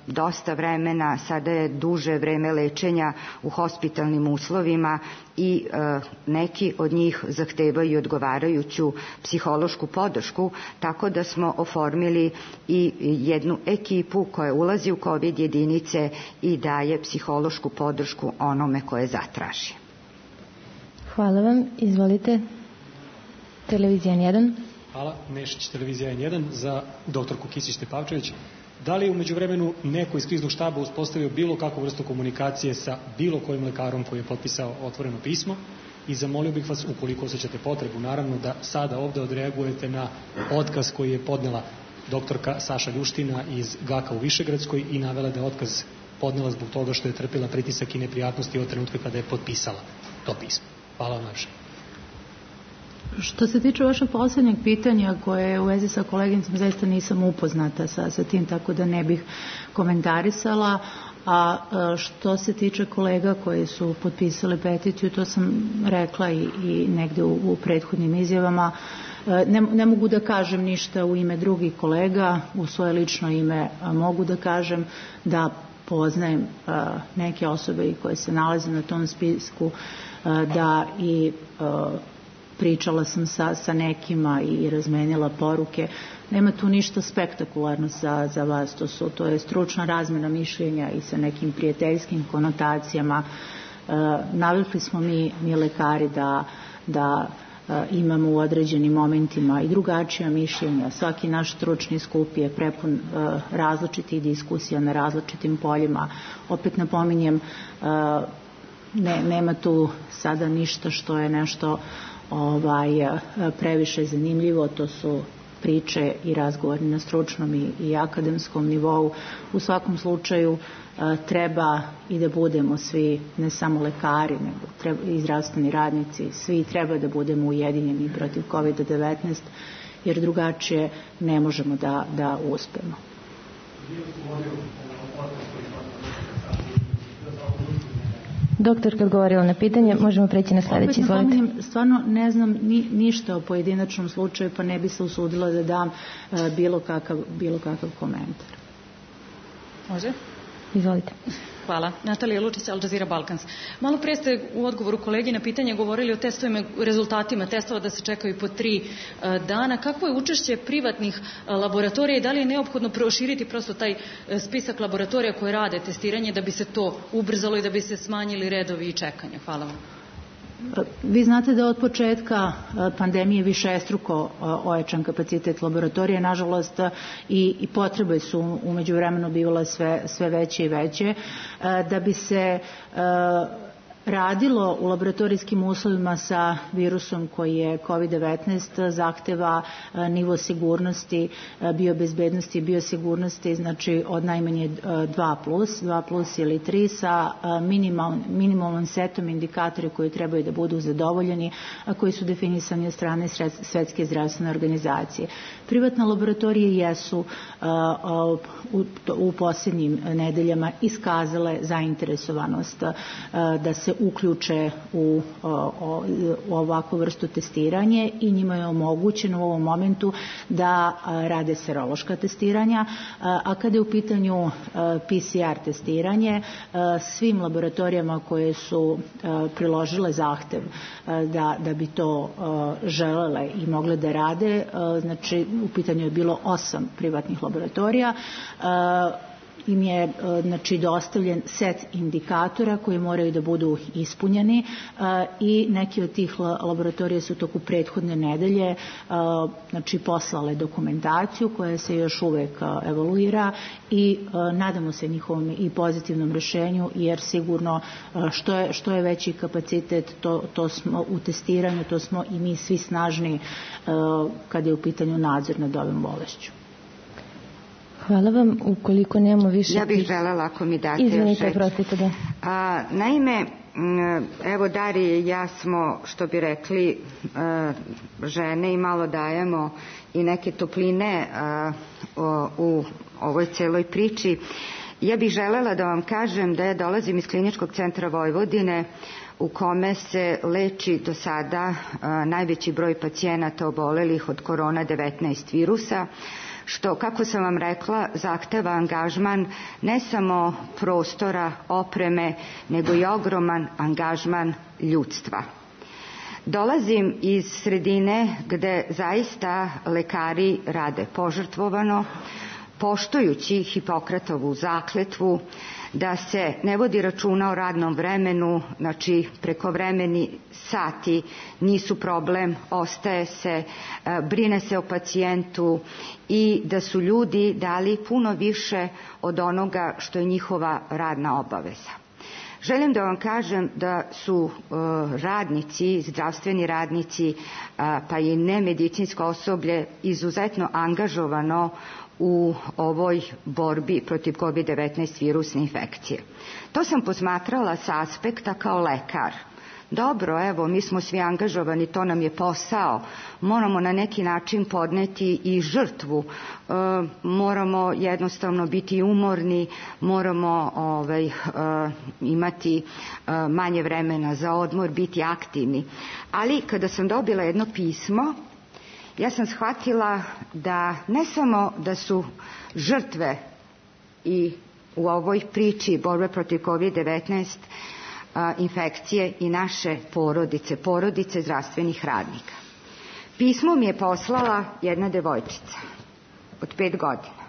dosta vremena, sada je duže vreme lečenja u hospitalnim uslovima i neki od njih zahtevaju odgovarajuću psihološku podršku, tako da smo oformili i jednu ekipu koja ulazi u COVID jedinice i daje psihološku podršku onome koje zatraži. Hvala vam. Izvolite. Televizija N1. Hvala. Nešić, Televizija N1 za doktorku Kisić-Tepavčević. Da li je umeđu vremenu neko iz kriznog štaba uspostavio bilo kakvu vrstu komunikacije sa bilo kojim lekarom koji je potpisao otvoreno pismo? I zamolio bih vas, ukoliko osjećate potrebu, naravno, da sada ovde odreagujete na otkaz koji je podnela doktorka Saša Ljuština iz GAK-a u Višegradskoj i navela da je otkaz podnela zbog toga što je trpila pritisak i neprijatnosti od trenutka kada je potpisala to pismo. Hvala vam najviše. Što se tiče vašeg poslednjeg pitanja koje je u vezi sa koleginicom, zaista nisam upoznata sa tim, tako da ne bih komentarisala. A što se tiče kolega koji su potpisali peticiju, to sam rekla i negde u prethodnim izjavama, ne mogu da kažem ništa u ime drugih kolega, u svoje lično ime mogu da kažem da poznajem neke osobe koje se nalaze na tom spisku, da i pričala sam sa nekima i razmenila poruke. Nema tu ništa spektakularno za vas, to je stručna razmena mišljenja i sa nekim prijateljskim konotacijama. Navikli smo mi lekari da imamo u određenim momentima i drugačija mišljenja. Svaki naš stručni skup je prepun različitih diskusija na različitim poljima. Opet napominjem, nema tu sada ništa što je nešto previše zanimljivo, to su priče i razgovori na stručnom i akademskom nivou. U svakom slučaju treba i da budemo svi, ne samo lekari, nego i zdravstveni radnici, svi treba da budemo ujedinjeni protiv COVID-19, jer drugačije ne možemo da uspemo. Doktor, kad govorila na pitanje, možemo preći na sledeći, izvolite. Stvarno ne znam ništa o pojedinačnom slučaju, pa ne bi se usudila da dam bilo kakav komentar. Može? Izvolite. Hvala. Natalija Lučić, Al Jazeera Balkans. Malo pre ste u odgovoru kolegi na pitanje govorili o testovima, rezultatima testova da se čekaju po 3 dana. Kakvo je učešće privatnih laboratorija i da li je neophodno proširiti prosto taj spisak laboratorija koje rade testiranje da bi se to ubrzalo i da bi se smanjili redovi i čekanja? Hvala vam. Vi znate da od početka pandemije višestruko ojačan kapacitet laboratorije, nažalost i potrebe su u međuvremenu bivale sve veće i veće. Da bi se radilo u laboratorijskim uslovima sa virusom koji je COVID-19 zahteva nivo sigurnosti, biobezbednosti i biosigurnosti, znači od najmanje 2+ ili 3 sa minimalnim setom indikatora koji trebaju da budu zadovoljeni, a koji su definisani od strane Svetske zdravstvene organizacije. Privatne laboratorije jesu u posljednjim nedeljama iskazale zainteresovanost da se uključe u ovakvu vrstu testiranje i njima je omogućeno u ovom momentu da rade serološka testiranja, a kada je u pitanju PCR testiranje, svim laboratorijama koje su priložile zahtev da bi to želele i mogle da rade, znači u pitanju je bilo 8 privatnih laboratorija, im je dostavljen set indikatora koji moraju da budu ispunjeni i neki od tih laboratorija su toku prethodne nedelje poslale dokumentaciju koja se još uvek evaluira i nadamo se njihovom i pozitivnom rešenju, jer sigurno što je veći kapacitet to smo u testiranju, to smo i mi svi snažni kada je u pitanju nadzor nad ovim bolešću. Hvala vam. Ukoliko nemamo više... Ja bih želela, ako mi date još... Izvinite, prostite, da. Naime, evo Darija i ja smo, što bi rekli, žene i malo dajemo i neke topline u ovoj celoj priči. Ja bih želela da vam kažem da ja dolazim iz Kliničkog centra Vojvodine, u kome se leči do sada najveći broj pacijenata obolelih od korona-19 virusa, što, kako sam vam rekla, zahteva angažman ne samo prostora, opreme, nego i ogroman angažman ljudstva. Dolazim iz sredine gde zaista lekari rade požrtvovano, poštujući Hipokratovu zakletvu, da se ne vodi računa o radnom vremenu, znači prekovremeni sati nisu problem, ostaje se, brine se o pacijentu i da su ljudi dali puno više od onoga što je njihova radna obaveza. Želim da vam kažem da su radnici, zdravstveni radnici, pa i nemedicinsko osoblje izuzetno angažovano u ovoj borbi protiv COVID-19 virusne infekcije. To sam posmatrala sa aspekta kao lekar. Dobro, evo, mi smo svi angažovani, to nam je posao, moramo na neki način podneti i žrtvu, moramo jednostavno biti umorni, moramo imati manje vremena za odmor, biti aktivni. Ali kada sam dobila jedno pismo, ja sam shvatila da ne samo da su žrtve i u ovoj priči borbe protiv COVID-19 infekcije i naše porodice zdravstvenih radnika. Pismo mi je poslala jedna devojčica od 5 godina,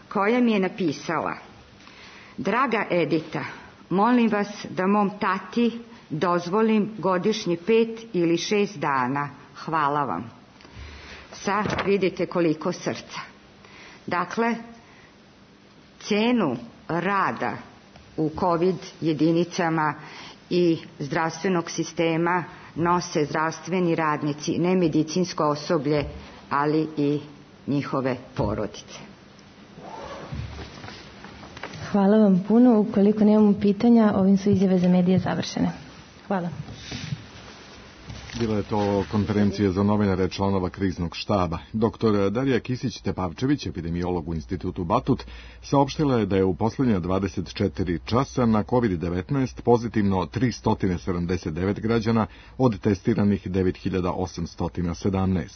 koja mi je napisala: Draga Edita, molim vas da mom tati dozvolim godišnji 5 ili 6 dana. Hvala vam. Sad vidite koliko srca. Dakle, cenu rada u COVID jedinicama i zdravstvenog sistema nose zdravstveni radnici, ne medicinsko osoblje, ali i njihove porodice. Hvala vam puno. Ukoliko nemamo pitanja, ovim su izjave za medije završene. Hvala. Bila je to konferencija za novinare članova kriznog štaba. Dr. Darija Kisić-Tepavčević, epidemiolog u institutu Batut, saopštila je da je u poslednja 24 časa na COVID-19 pozitivno 379 građana od testiranih 9817.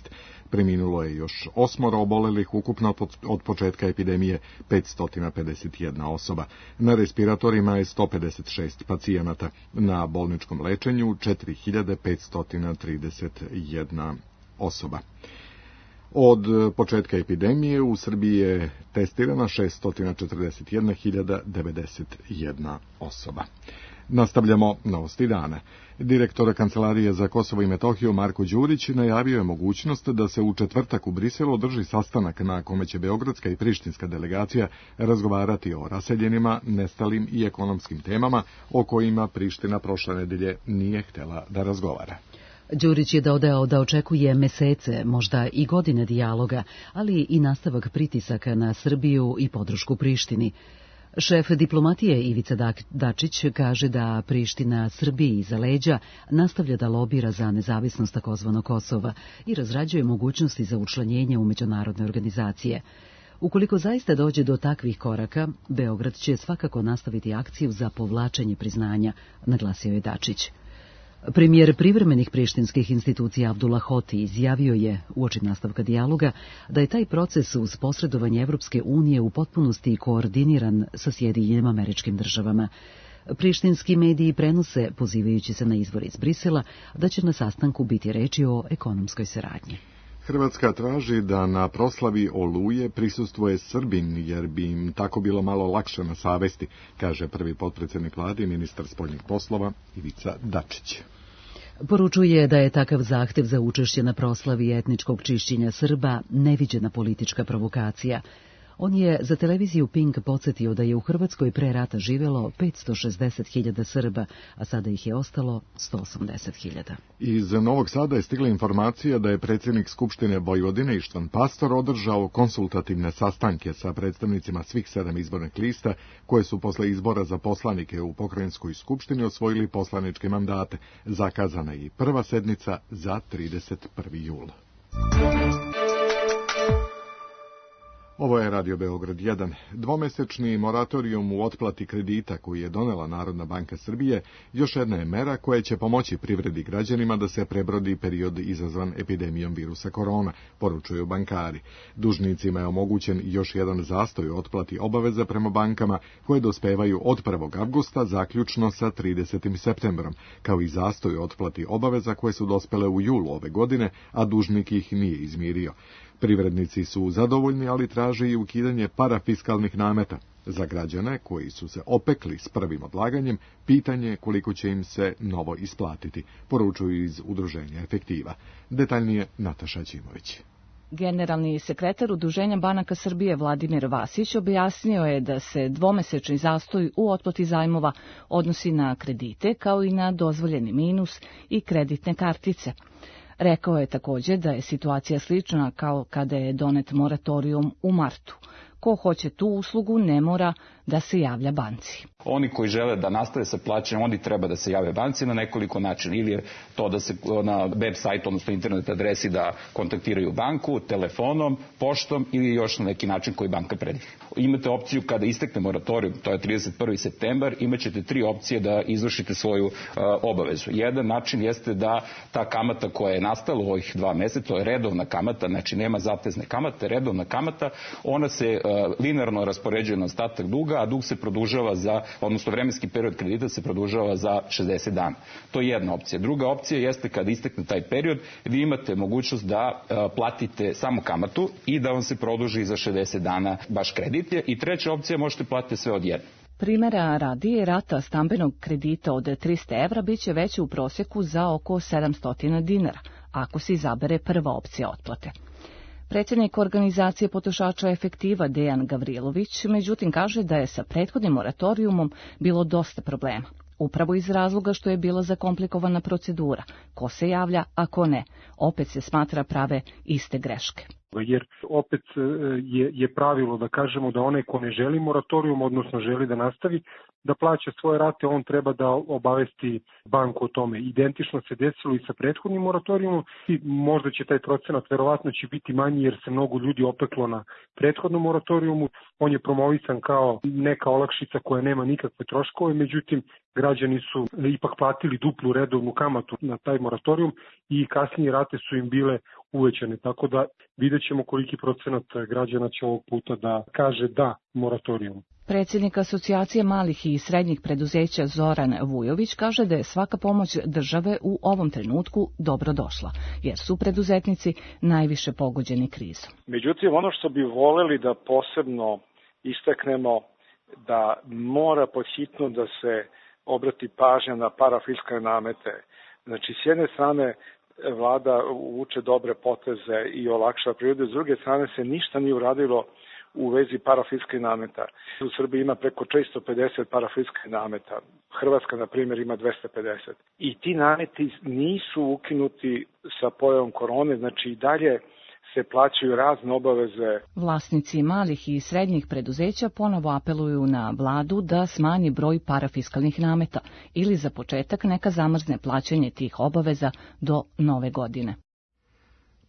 Preminulo je još 8 obolelih, ukupno od početka epidemije 551 osoba. Na respiratorima je 156 pacijenata. Na bolničkom lečenju 4531 osoba. Od početka epidemije u Srbiji je testirana 641.091 osoba. Nastavljamo novosti dana. Direktor Kancelarije za Kosovo i Metohiju Marko Đurić najavio je mogućnost da se u četvrtak u Briselu održi sastanak na kome će beogradska i prištinska delegacija razgovarati o raseljenima, nestalim i ekonomskim temama o kojima Priština prošle nedelje nije htela da razgovara. Đurić je dodao da očekuje mesece, možda i godine dijaloga, ali i nastavak pritisaka na Srbiju i podršku Prištini. Šef diplomatije Ivica Dačić kaže da Priština Srbiji iza leđa nastavlja da lobira za nezavisnost takozvanog Kosova i razrađuje mogućnosti za učlanjenje u međunarodne organizacije. Ukoliko zaista dođe do takvih koraka, Beograd će svakako nastaviti akciju za povlačenje priznanja, naglasio je Dačić. Premijer privremenih prištinskih institucija Abdullah Hoti izjavio je, uoči nastavka dijaloga, da je taj proces uz posredovanje Evropske unije u potpunosti koordiniran sa Sjedinjenim Američkim Državama. Prištinski mediji prenose, pozivajući se na izvor iz Brisela, da će na sastanku biti reči o ekonomskoj saradnji. Hrvatska traži da na proslavi Oluje prisustvuje Srbin, jer bi im tako bilo malo lakše na savesti, kaže prvi potpredsjednik vlade i ministar spoljnih poslova Ivica Dačić. Poručuje da je takav zahtev za učešće na proslavi etničkog čišćenja Srba neviđena politička provokacija. On je za televiziju Pink podsjetio da je u Hrvatskoj pre rata živelo 560.000 Srba, a sada ih je ostalo 180.000. Iz Novog Sada je stigla informacija da je predsjednik Skupštine Vojvodine Ištvan Pastor održao konsultativne sastanke sa predstavnicima svih 7 izbornih lista koje su posle izbora za poslanike u Pokrajinskoj skupštini osvojili poslaničke mandate. Zakazana je i prva sednica za 31. jul. Ovo je Radio Beograd 1. Dvomesečni moratorijum u otplati kredita koji je donela Narodna banka Srbije još jedna je mera koja će pomoći privredi građanima da se prebrodi period izazvan epidemijom virusa korona, poručuju bankari. Dužnicima je omogućen još jedan zastoj u otplati obaveza prema bankama koje dospevaju od 1. avgusta zaključno sa 30. septembrom, kao i zastoj u otplati obaveza koje su dospele u julu ove godine, a dužnik ih nije izmirio. Privrednici su zadovoljni, ali traže i ukidanje parafiskalnih nameta. Za građane koji su se opekli s prvim odlaganjem, pitanje je koliko će im se novo isplatiti, poručuju iz udruženja Efektiva. Detaljnije Nataša Ćimović. Generalni sekretar Udruženja banaka Srbije Vladimir Vasić objasnio je da se dvomesečni zastoj u otplati zajmova odnosi na kredite kao i na dozvoljeni minus i kreditne kartice. Rekao je također da je situacija slična kao kada je donet moratorijum u martu. Ko hoće tu uslugu ne mora da se javlja banci. Oni koji žele da nastave sa plaćanjem, oni treba da se jave banci na nekoliko načina. Ili je to da se na web sajtu, odnosno internet adresi da kontaktiraju banku, telefonom, poštom ili još na neki način koji banka predvidi. Imate opciju kada istekne moratorijum, to je 31. septembar, imat ćete 3 opcije da izvršite svoju obavezu. Jedan način jeste da ta kamata koja je nastala u ovih 2 meseca, to je redovna kamata, znači nema zatezne kamate, redovna kamata, ona se linearno raspoređuje na ostatak duga, a dug se produžava odnosno vremenski period kredita se produžava za 60 dana. To je jedna opcija. Druga opcija jeste kada istekne taj period, vi imate mogućnost da platite samo kamatu i da vam se produži za 60 dana baš kredit. I treća opcija, možete platiti sve odjednom. Primera radi, rata stambenog kredita od 300 evra biće veća u prosjeku za oko 700 dinara, ako se izabere prva opcija otplate. Predsjednik organizacije potrošača Efektiva Dejan Gavrilović, međutim, kaže da je sa prethodnim moratorijumom bilo dosta problema. Upravo iz razloga što je bila zakomplikovana procedura. Ko se javlja, a ko ne. Opet se smatra prave iste greške. Jer opet je pravilo da kažemo da onaj ko ne želi moratorijum, odnosno želi da nastavi da plaća svoje rate, on treba da obavesti banku o tome. Identično se desilo i sa prethodnim moratorijumom i možda će taj procenat verovatno će biti manji jer se mnogo ljudi opeklo na prethodnom moratorijumu. On je promovisan kao neka olakšica koja nema nikakve troškove, međutim građani su ipak platili duplu redovnu kamatu na taj moratorijum i kasnije rate su im bile uvećane, tako da vidjet ćemo koliki procenat građana će ovog puta da kaže da moratorijum. Predsjednik Asocijacije malih i srednjih preduzeća Zoran Vujović kaže da je svaka pomoć države u ovom trenutku dobro došla, jer su preduzetnici najviše pogođeni krizom. Međutim, ono što bi voleli da posebno istaknemo, da mora podhitno da se obrati pažnja na parafiskalne namete. Znači, s jedne strane, vlada uvuče dobre poteze i olakša privredu, s druge strane se ništa nije uradilo u vezi parafiskalnih nameta. U Srbiji ima preko 450 parafiskalnih nameta. Hrvatska, na primjer, ima 250. I ti nameti nisu ukinuti sa pojavom korone, znači i dalje se plaćaju razne obaveze. Vlasnici malih i srednjih preduzeća ponovo apeluju na vladu da smanji broj parafiskalnih nameta ili za početak neka zamrzne plaćanje tih obaveza do nove godine.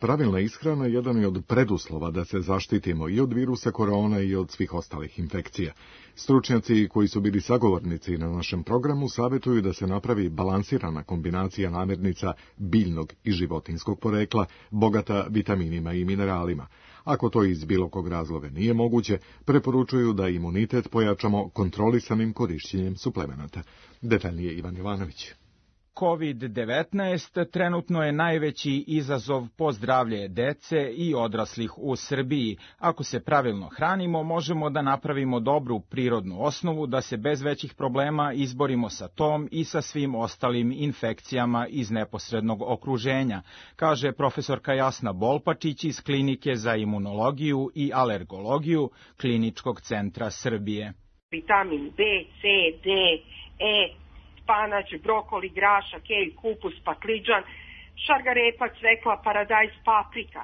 Pravilna ishrana jedan je od preduslova da se zaštitimo i od virusa korona i od svih ostalih infekcija. Stručnjaci koji su bili sagovornici na našem programu savjetuju da se napravi balansirana kombinacija namirnica biljnog i životinjskog porekla, bogata vitaminima i mineralima. Ako to iz bilo kog razloga nije moguće, preporučuju da imunitet pojačamo kontrolisanim korišćenjem suplemenata. Detaljnije Ivan Jovanović. COVID-19 trenutno je najveći izazov po zdravlje dece i odraslih u Srbiji. Ako se pravilno hranimo, možemo da napravimo dobru prirodnu osnovu da se bez većih problema izborimo sa tom i sa svim ostalim infekcijama iz neposrednog okruženja, kaže profesorka Jasna Bolpačić iz Klinike za imunologiju i alergologiju Kliničkog centra Srbije. Vitamin B, C, D, E, španać, brokoli, grašak, kelj, kupus, pakliđan, šargarepa, cvekla, paradajz, paprika,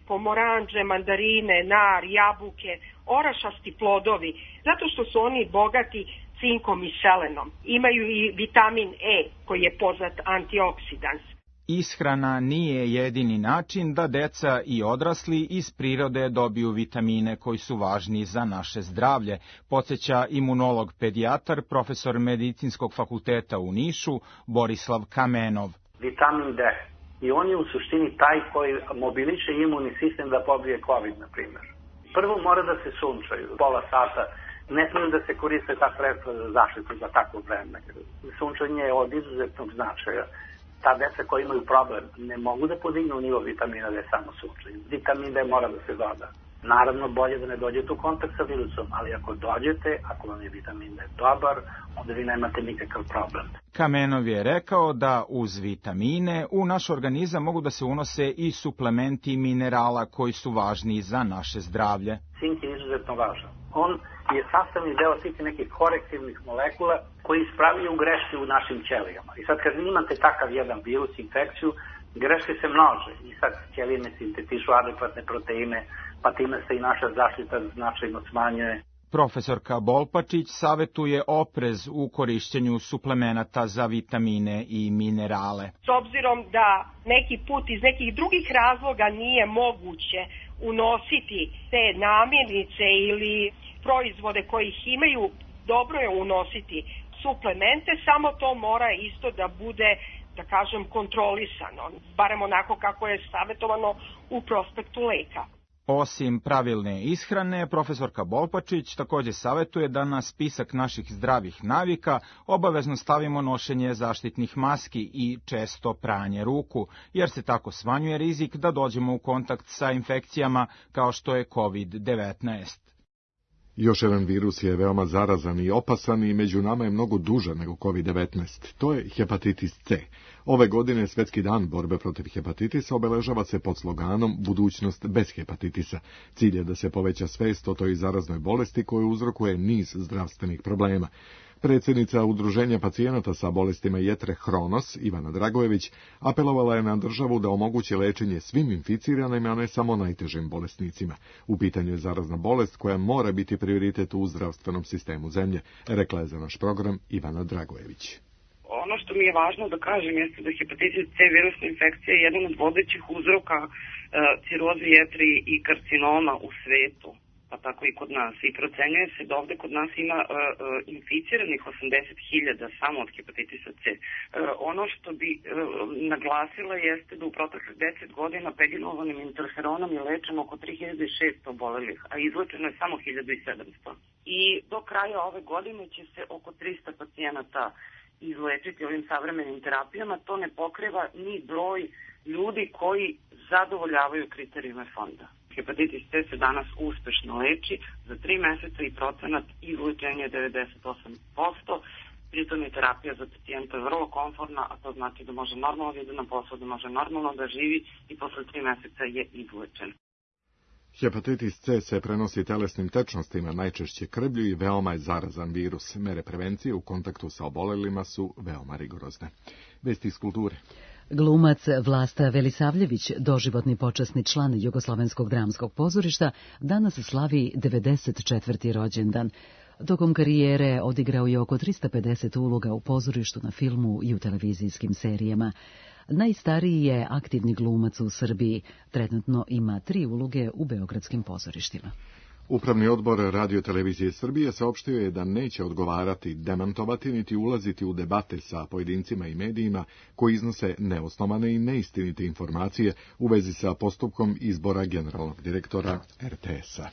pomoranđe, mandarine, nar, jabuke, orašasti plodovi, zato što su oni bogati cinkom i selenom. Imaju i vitamin E, koji je poznat antioksidans. Ishrana nije jedini način da deca i odrasli iz prirode dobiju vitamine koji su važni za naše zdravlje, podsjeća imunolog pedijatar, profesor Medicinskog fakulteta u Nišu, Borislav Kamenov. Vitamin D. I on je u suštini taj koji mobiliše imunni sistem da pobije COVID, na primjer. Prvo mora da se sunčaju, pola sata. Ne smiju da se koriste ta sredstva za zaštitu za takvo vreme. Sunčanje je od izuzetnog značaja. Ta deca koji imaju problem ne mogu da podignu nivo vitamina D samo sunčanjem. Vitamin D mora da se doda. Naravno, bolje da ne dođete u kontakt sa virusom, ali ako dođete, ako vam je vitamin D dobar, onda vi nemate nikakav problem. Kamenov je rekao da uz vitamine u naš organizam mogu da se unose i suplementi minerala koji su važni za naše zdravlje. Cink je izuzetno važan. On je sastavni deo svih nekih korektivnih molekula koji ispravljaju greške u našim ćelijama. I sad kad imate takav jedan virus, infekciju, greške se množe. I sad ćelije ne sintetišu adekvatne proteine, pa time se i naša zaštita značajno smanjuje. Profesorka Bolpačić savetuje oprez u korišćenju suplemenata za vitamine i minerale. S obzirom da neki put iz nekih drugih razloga nije moguće unositi te namirnice ili proizvode koji ih imaju, dobro je unositi suplemente, samo to mora isto da bude, da kažem, kontrolisano, barem onako kako je savjetovano u prospektu leka. Osim pravilne ishrane, profesorka Bolpačić takođe savetuje da na spisak naših zdravih navika obavezno stavimo nošenje zaštitnih maski i često pranje ruku, jer se tako smanjuje rizik da dođemo u kontakt sa infekcijama kao što je COVID-19. Još jedan virus je veoma zarazan i opasan i među nama je mnogo duže nego COVID-19. To je hepatitis C. Ove godine Svetski dan borbe protiv hepatitisa obeležava se pod sloganom Budućnost bez hepatitisa. Cilj je da se poveća svest o toj zaraznoj bolesti koju uzrokuje niz zdravstvenih problema. Predsjednica Udruženja pacijenata sa bolestima jetre Hronos, Ivana Dragojević, apelovala je na državu da omogući lečenje svim inficiranima, a ne samo najtežim bolesnicima. U pitanju je zarazna bolest koja mora biti prioritet u zdravstvenom sistemu zemlje, rekla je za naš program Ivana Dragojević. Ono što mi je važno da kažem jeste da hepatitis C virusna infekcija je jedan od vodećih uzroka ciroze jetre i karcinoma u svetu, pa tako i kod nas. I procenjuje se da ovde kod nas ima inficiranih 80.000 samo od hepatitisa C. Ono što bi naglasila jeste da u proteklih 10 godina pegilovanim interferonom je lečeno oko 3600 obolelih, a izlečeno je samo 1700. I do kraja ove godine će se oko 300 pacijenata izlečiti ovim savremenim terapijama. To ne pokriva ni broj ljudi koji zadovoljavaju kriterijume fonda. Hepatitis C se danas uspešno leči, za 3 meseca i procenat izlečenja je 98%, pritom je terapija za pacijenta vrlo komfortna, a to znači da može normalno da ide na posao, da može normalno da živi i posle 3 meseca je izlečen. Hepatitis C se prenosi telesnim tečnostima, najčešće krvlju i veoma je zarazan virus. Mere prevencije u kontaktu sa obolelima su veoma rigorozne. Vesti iz kulture. Glumac Vlasta Velisavljević, doživotni počasni član Jugoslovenskog dramskog pozorišta, danas slavi 94. rođendan. Tokom karijere odigrao je oko 350 uloga u pozorištu, na filmu i u televizijskim serijama. Najstariji je aktivni glumac u Srbiji. Trenutno ima 3 uloge u beogradskim pozorištima. Upravni odbor Radio-televizije Srbije saopštio je da neće odgovarati, demantovati niti ulaziti u debate sa pojedincima i medijima koji iznose neosnovane i neistinite informacije u vezi sa postupkom izbora generalnog direktora RTS-a.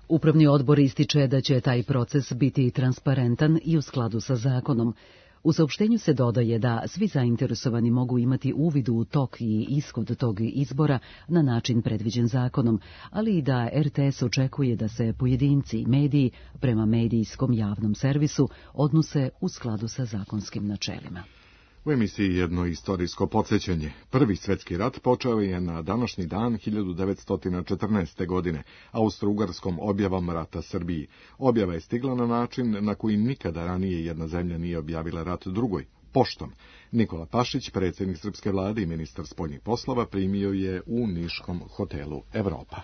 Upravni odbor ističe da će taj proces biti transparentan i u skladu sa zakonom. U saopštenju se dodaje da svi zainteresovani mogu imati uvid u tok i ishod tog izbora na način predviđen zakonom, ali i da RTS očekuje da se pojedinci i mediji prema medijskom javnom servisu odnose u skladu sa zakonskim načelima. U emisiji jedno istorijsko podsjećanje. Prvi svjetski rat počeo je na današnji dan 1914. godine, austro-ugarskom objavom rata Srbiji. Objava je stigla na način na koji nikada ranije jedna zemlja nije objavila rat drugoj, poštom. Nikola Pašić, predsjednik srpske vlade i ministar spoljnih poslova, primio je u niškom hotelu Evropa.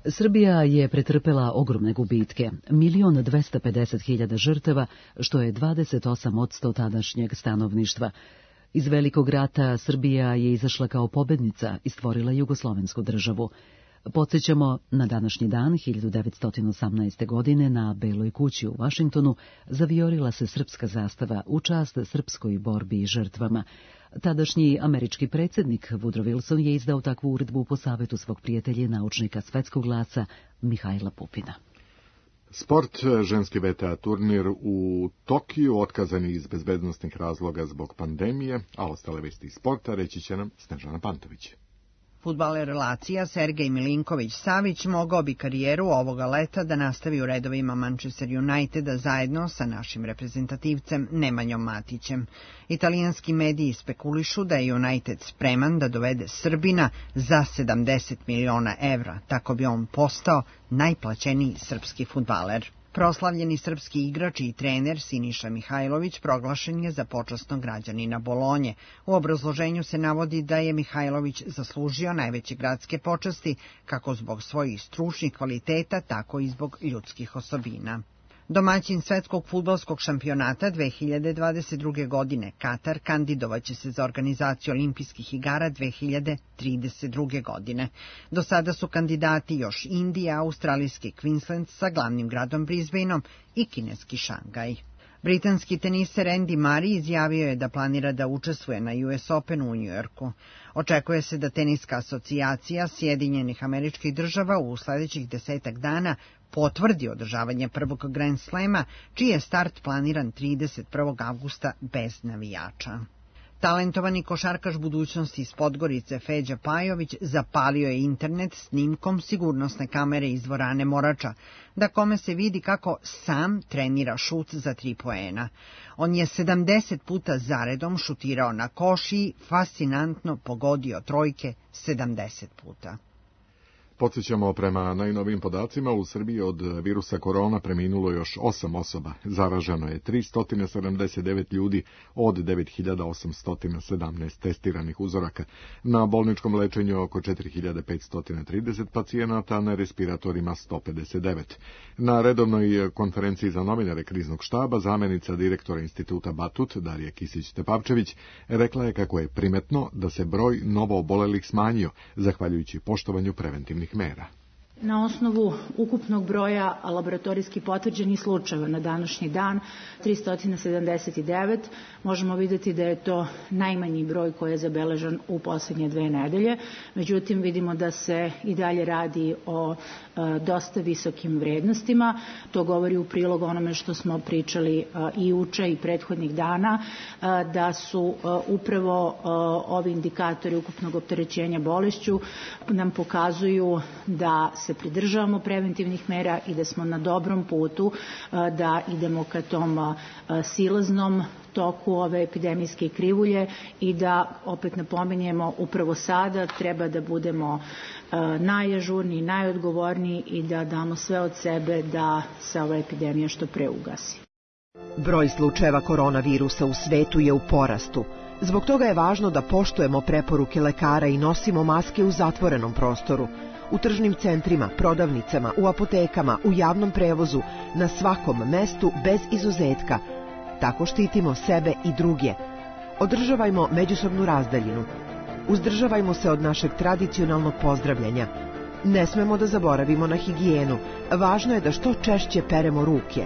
Srbija je pretrpela ogromne gubitke, 1.250.000 žrtava, što je 28% tadašnjeg stanovništva. Iz Velikog rata Srbija je izašla kao pobednica i stvorila jugoslovensku državu. Podsjećamo, na današnji dan, 1918. godine, na Beloj kući u Vašingtonu zavijorila se srpska zastava u čast srpskoj borbi i žrtvama. Tadašnji američki predsjednik Woodrow Wilson je izdao takvu uredbu po savetu svog prijatelja i naučnika svetskog glasa Mihajla Pupina. Sport, ženski VTA turnir u Tokiju otkazan je iz bezbednostnih razloga zbog pandemije, a ostale vesti iz sporta reći će nam Snežana Pantović. Fudbaler Lacija Sergej Milinković-Savić mogao bi karijeru ovoga leta da nastavi u redovima Manchester Uniteda zajedno sa našim reprezentativcem Nemanjom Matićem. Italijanski mediji spekulišu da je United spreman da dovede Srbina za 70 miliona evra, tako bi on postao najplaćeniji srpski fudbaler. Proslavljeni srpski igrač i trener Siniša Mihajlović proglašen je za počasnog građanina Bolonje. U obrazloženju se navodi da je Mihajlović zaslužio najveće gradske počasti, kako zbog svojih stručnih kvaliteta, tako i zbog ljudskih osobina. Domaćin svetskog fudbalskog šampionata 2022. godine, Katar, kandidovaće se za organizaciju olimpijskih igara 2032. godine. Do sada su kandidati još Indija, australijski Queensland sa glavnim gradom Brisbaneom i kineski Šangaj. Britanski teniser Andy Murray izjavio je da planira da učestvuje na US Openu u Njujorku. Očekuje se da Teniska asocijacija Sjedinjenih Američkih Država u sledećih 10 dana potvrdi održavanje prvog Grand Slama, čiji je start planiran 31. avgusta bez navijača. Talentovani košarkaš budućnosti iz Podgorice Feđa Pajović zapalio je internet snimkom sigurnosne kamere iz dvorane Morača, da kome se vidi kako sam trenira šut za 3 poena. On je 70 puta zaredom šutirao na koš i fascinantno pogodio trojke 70 puta. Podsjećamo, prema najnovijim podacima, u Srbiji od virusa korona preminulo još 8 osoba. Zaraženo je 379 ljudi od 9817 testiranih uzoraka. Na bolničkom lečenju oko 4530 pacijenata, na respiratorima 159. Na redovnoj konferenciji za novinare kriznog štaba zamenica direktora instituta Batut, Darija Kisić-Tepavčević, rekla je kako je primetno da se broj novoobolelih smanjio, zahvaljujući poštovanju preventivnih mera. Na osnovu ukupnog broja laboratorijski potvrđenih slučajeva na današnji dan, 379, možemo vidjeti da je to najmanji broj koji je zabeležen u poslednje 2 nedelje. Međutim, vidimo da se i dalje radi o dosta visokim vrednostima. To govori u prilog onome što smo pričali i juče i prethodnih dana, da su upravo ovi indikatori ukupnog opterećenja bolešću nam pokazuju da se pridržavamo preventivnih mera i da smo na dobrom putu da idemo ka tom silaznom toku ove epidemijske krivulje i da, opet napominjemo, upravo sada treba da budemo najažurniji, najodgovorniji i da damo sve od sebe da se ova epidemija što pre ugasi. Broj slučajeva koronavirusa u svetu je u porastu. Zbog toga je važno da poštujemo preporuke lekara i nosimo maske u zatvorenom prostoru, u tržnim centrima, prodavnicama, u apotekama, u javnom prevozu, na svakom mestu bez izuzetka. Tako štitimo sebe i druge. Održavajmo međusobnu razdaljinu. Uzdržavajmo se od našeg tradicionalnog pozdravljanja. Ne smemo da zaboravimo na higijenu. Važno je da što češće peremo ruke.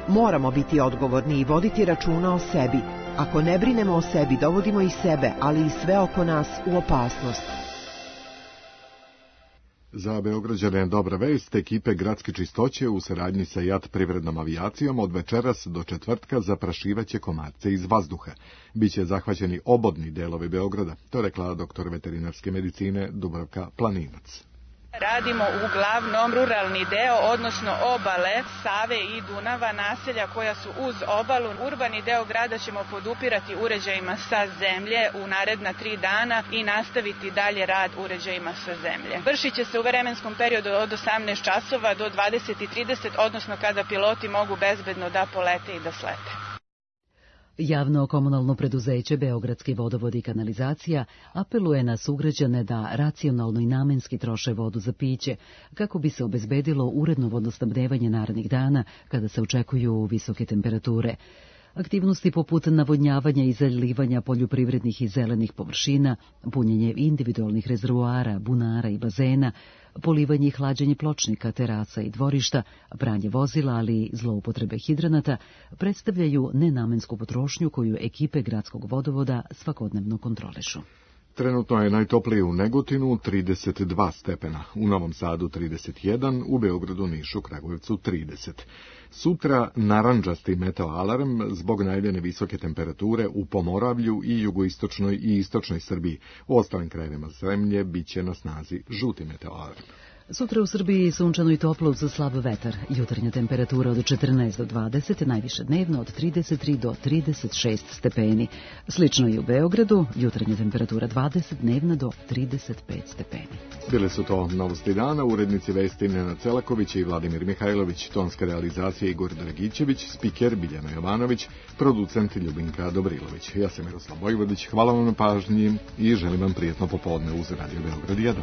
Moramo biti odgovorni i voditi računa o sebi. Ako ne brinemo o sebi, dovodimo i sebe, ali i sve oko nas u opasnost. Za Beograđane dobra vest, ekipe gradske čistoće u saradnji sa JAT privrednom avijacijom od večeras do četvrtka zaprašivaće komarce iz vazduha. Biće zahvaćeni obodni delovi Beograda, to rekla doktor veterinarske medicine Dubravka Planinac. Radimo uglavnom ruralni deo, odnosno obale Save i Dunava, naselja koja su uz obalu. Urbani deo grada ćemo podupirati uređajima sa zemlje u naredna 3 dana i nastaviti dalje rad uređajima sa zemlje. Vršit će se u vremenskom periodu od 18 časova do 20:30, odnosno kada piloti mogu bezbedno da polete i da slete. Javno komunalno preduzeće Beogradski vodovod i kanalizacija apeluje na sugrađane da racionalno i namenski troše vodu za piće, kako bi se obezbedilo uredno vodosnabdevanje narednih dana kada se očekuju visoke temperature. Aktivnosti poput navodnjavanja i zalivanja poljoprivrednih i zelenih površina, punjenje individualnih rezervoara, bunara i bazena, polivanje i hlađenje pločnika, terasa i dvorišta, pranje vozila, ali i zloupotrebe hidranata, predstavljaju nenamensku potrošnju koju ekipe gradskog vodovoda svakodnevno kontrolišu. Trenutno je najtoplije u Negotinu 32 stepena, u Novom Sadu 31, u Beogradu, Nišu, Kragujevcu 30. Sutra narandžasti meteo alarm zbog najavljene visoke temperature u Pomoravlju i jugoistočnoj i istočnoj Srbiji. U ostalim krajevima zemlje biće na snazi žuti meteo alarm. Sutra u Srbiji sunčano i toplo uz slab vetar. Jutarnja temperatura od 14 do 20, najviše dnevno od 33 do 36 stepeni. Slično i u Beogradu, jutarnja temperatura 20, dnevna do 35 stepeni. Bile su to novosti dana, urednici vesti Nenad Celaković i Vladimir Mihajlović, tonska realizacija Igor Dragićević, spiker Biljana Jovanović, producent Ljubinka Dobrilović. Ja sam Miroslav Vojvodić, hvala vam na pažnji i želim vam prijetno popodne uz Radio Beograd 1.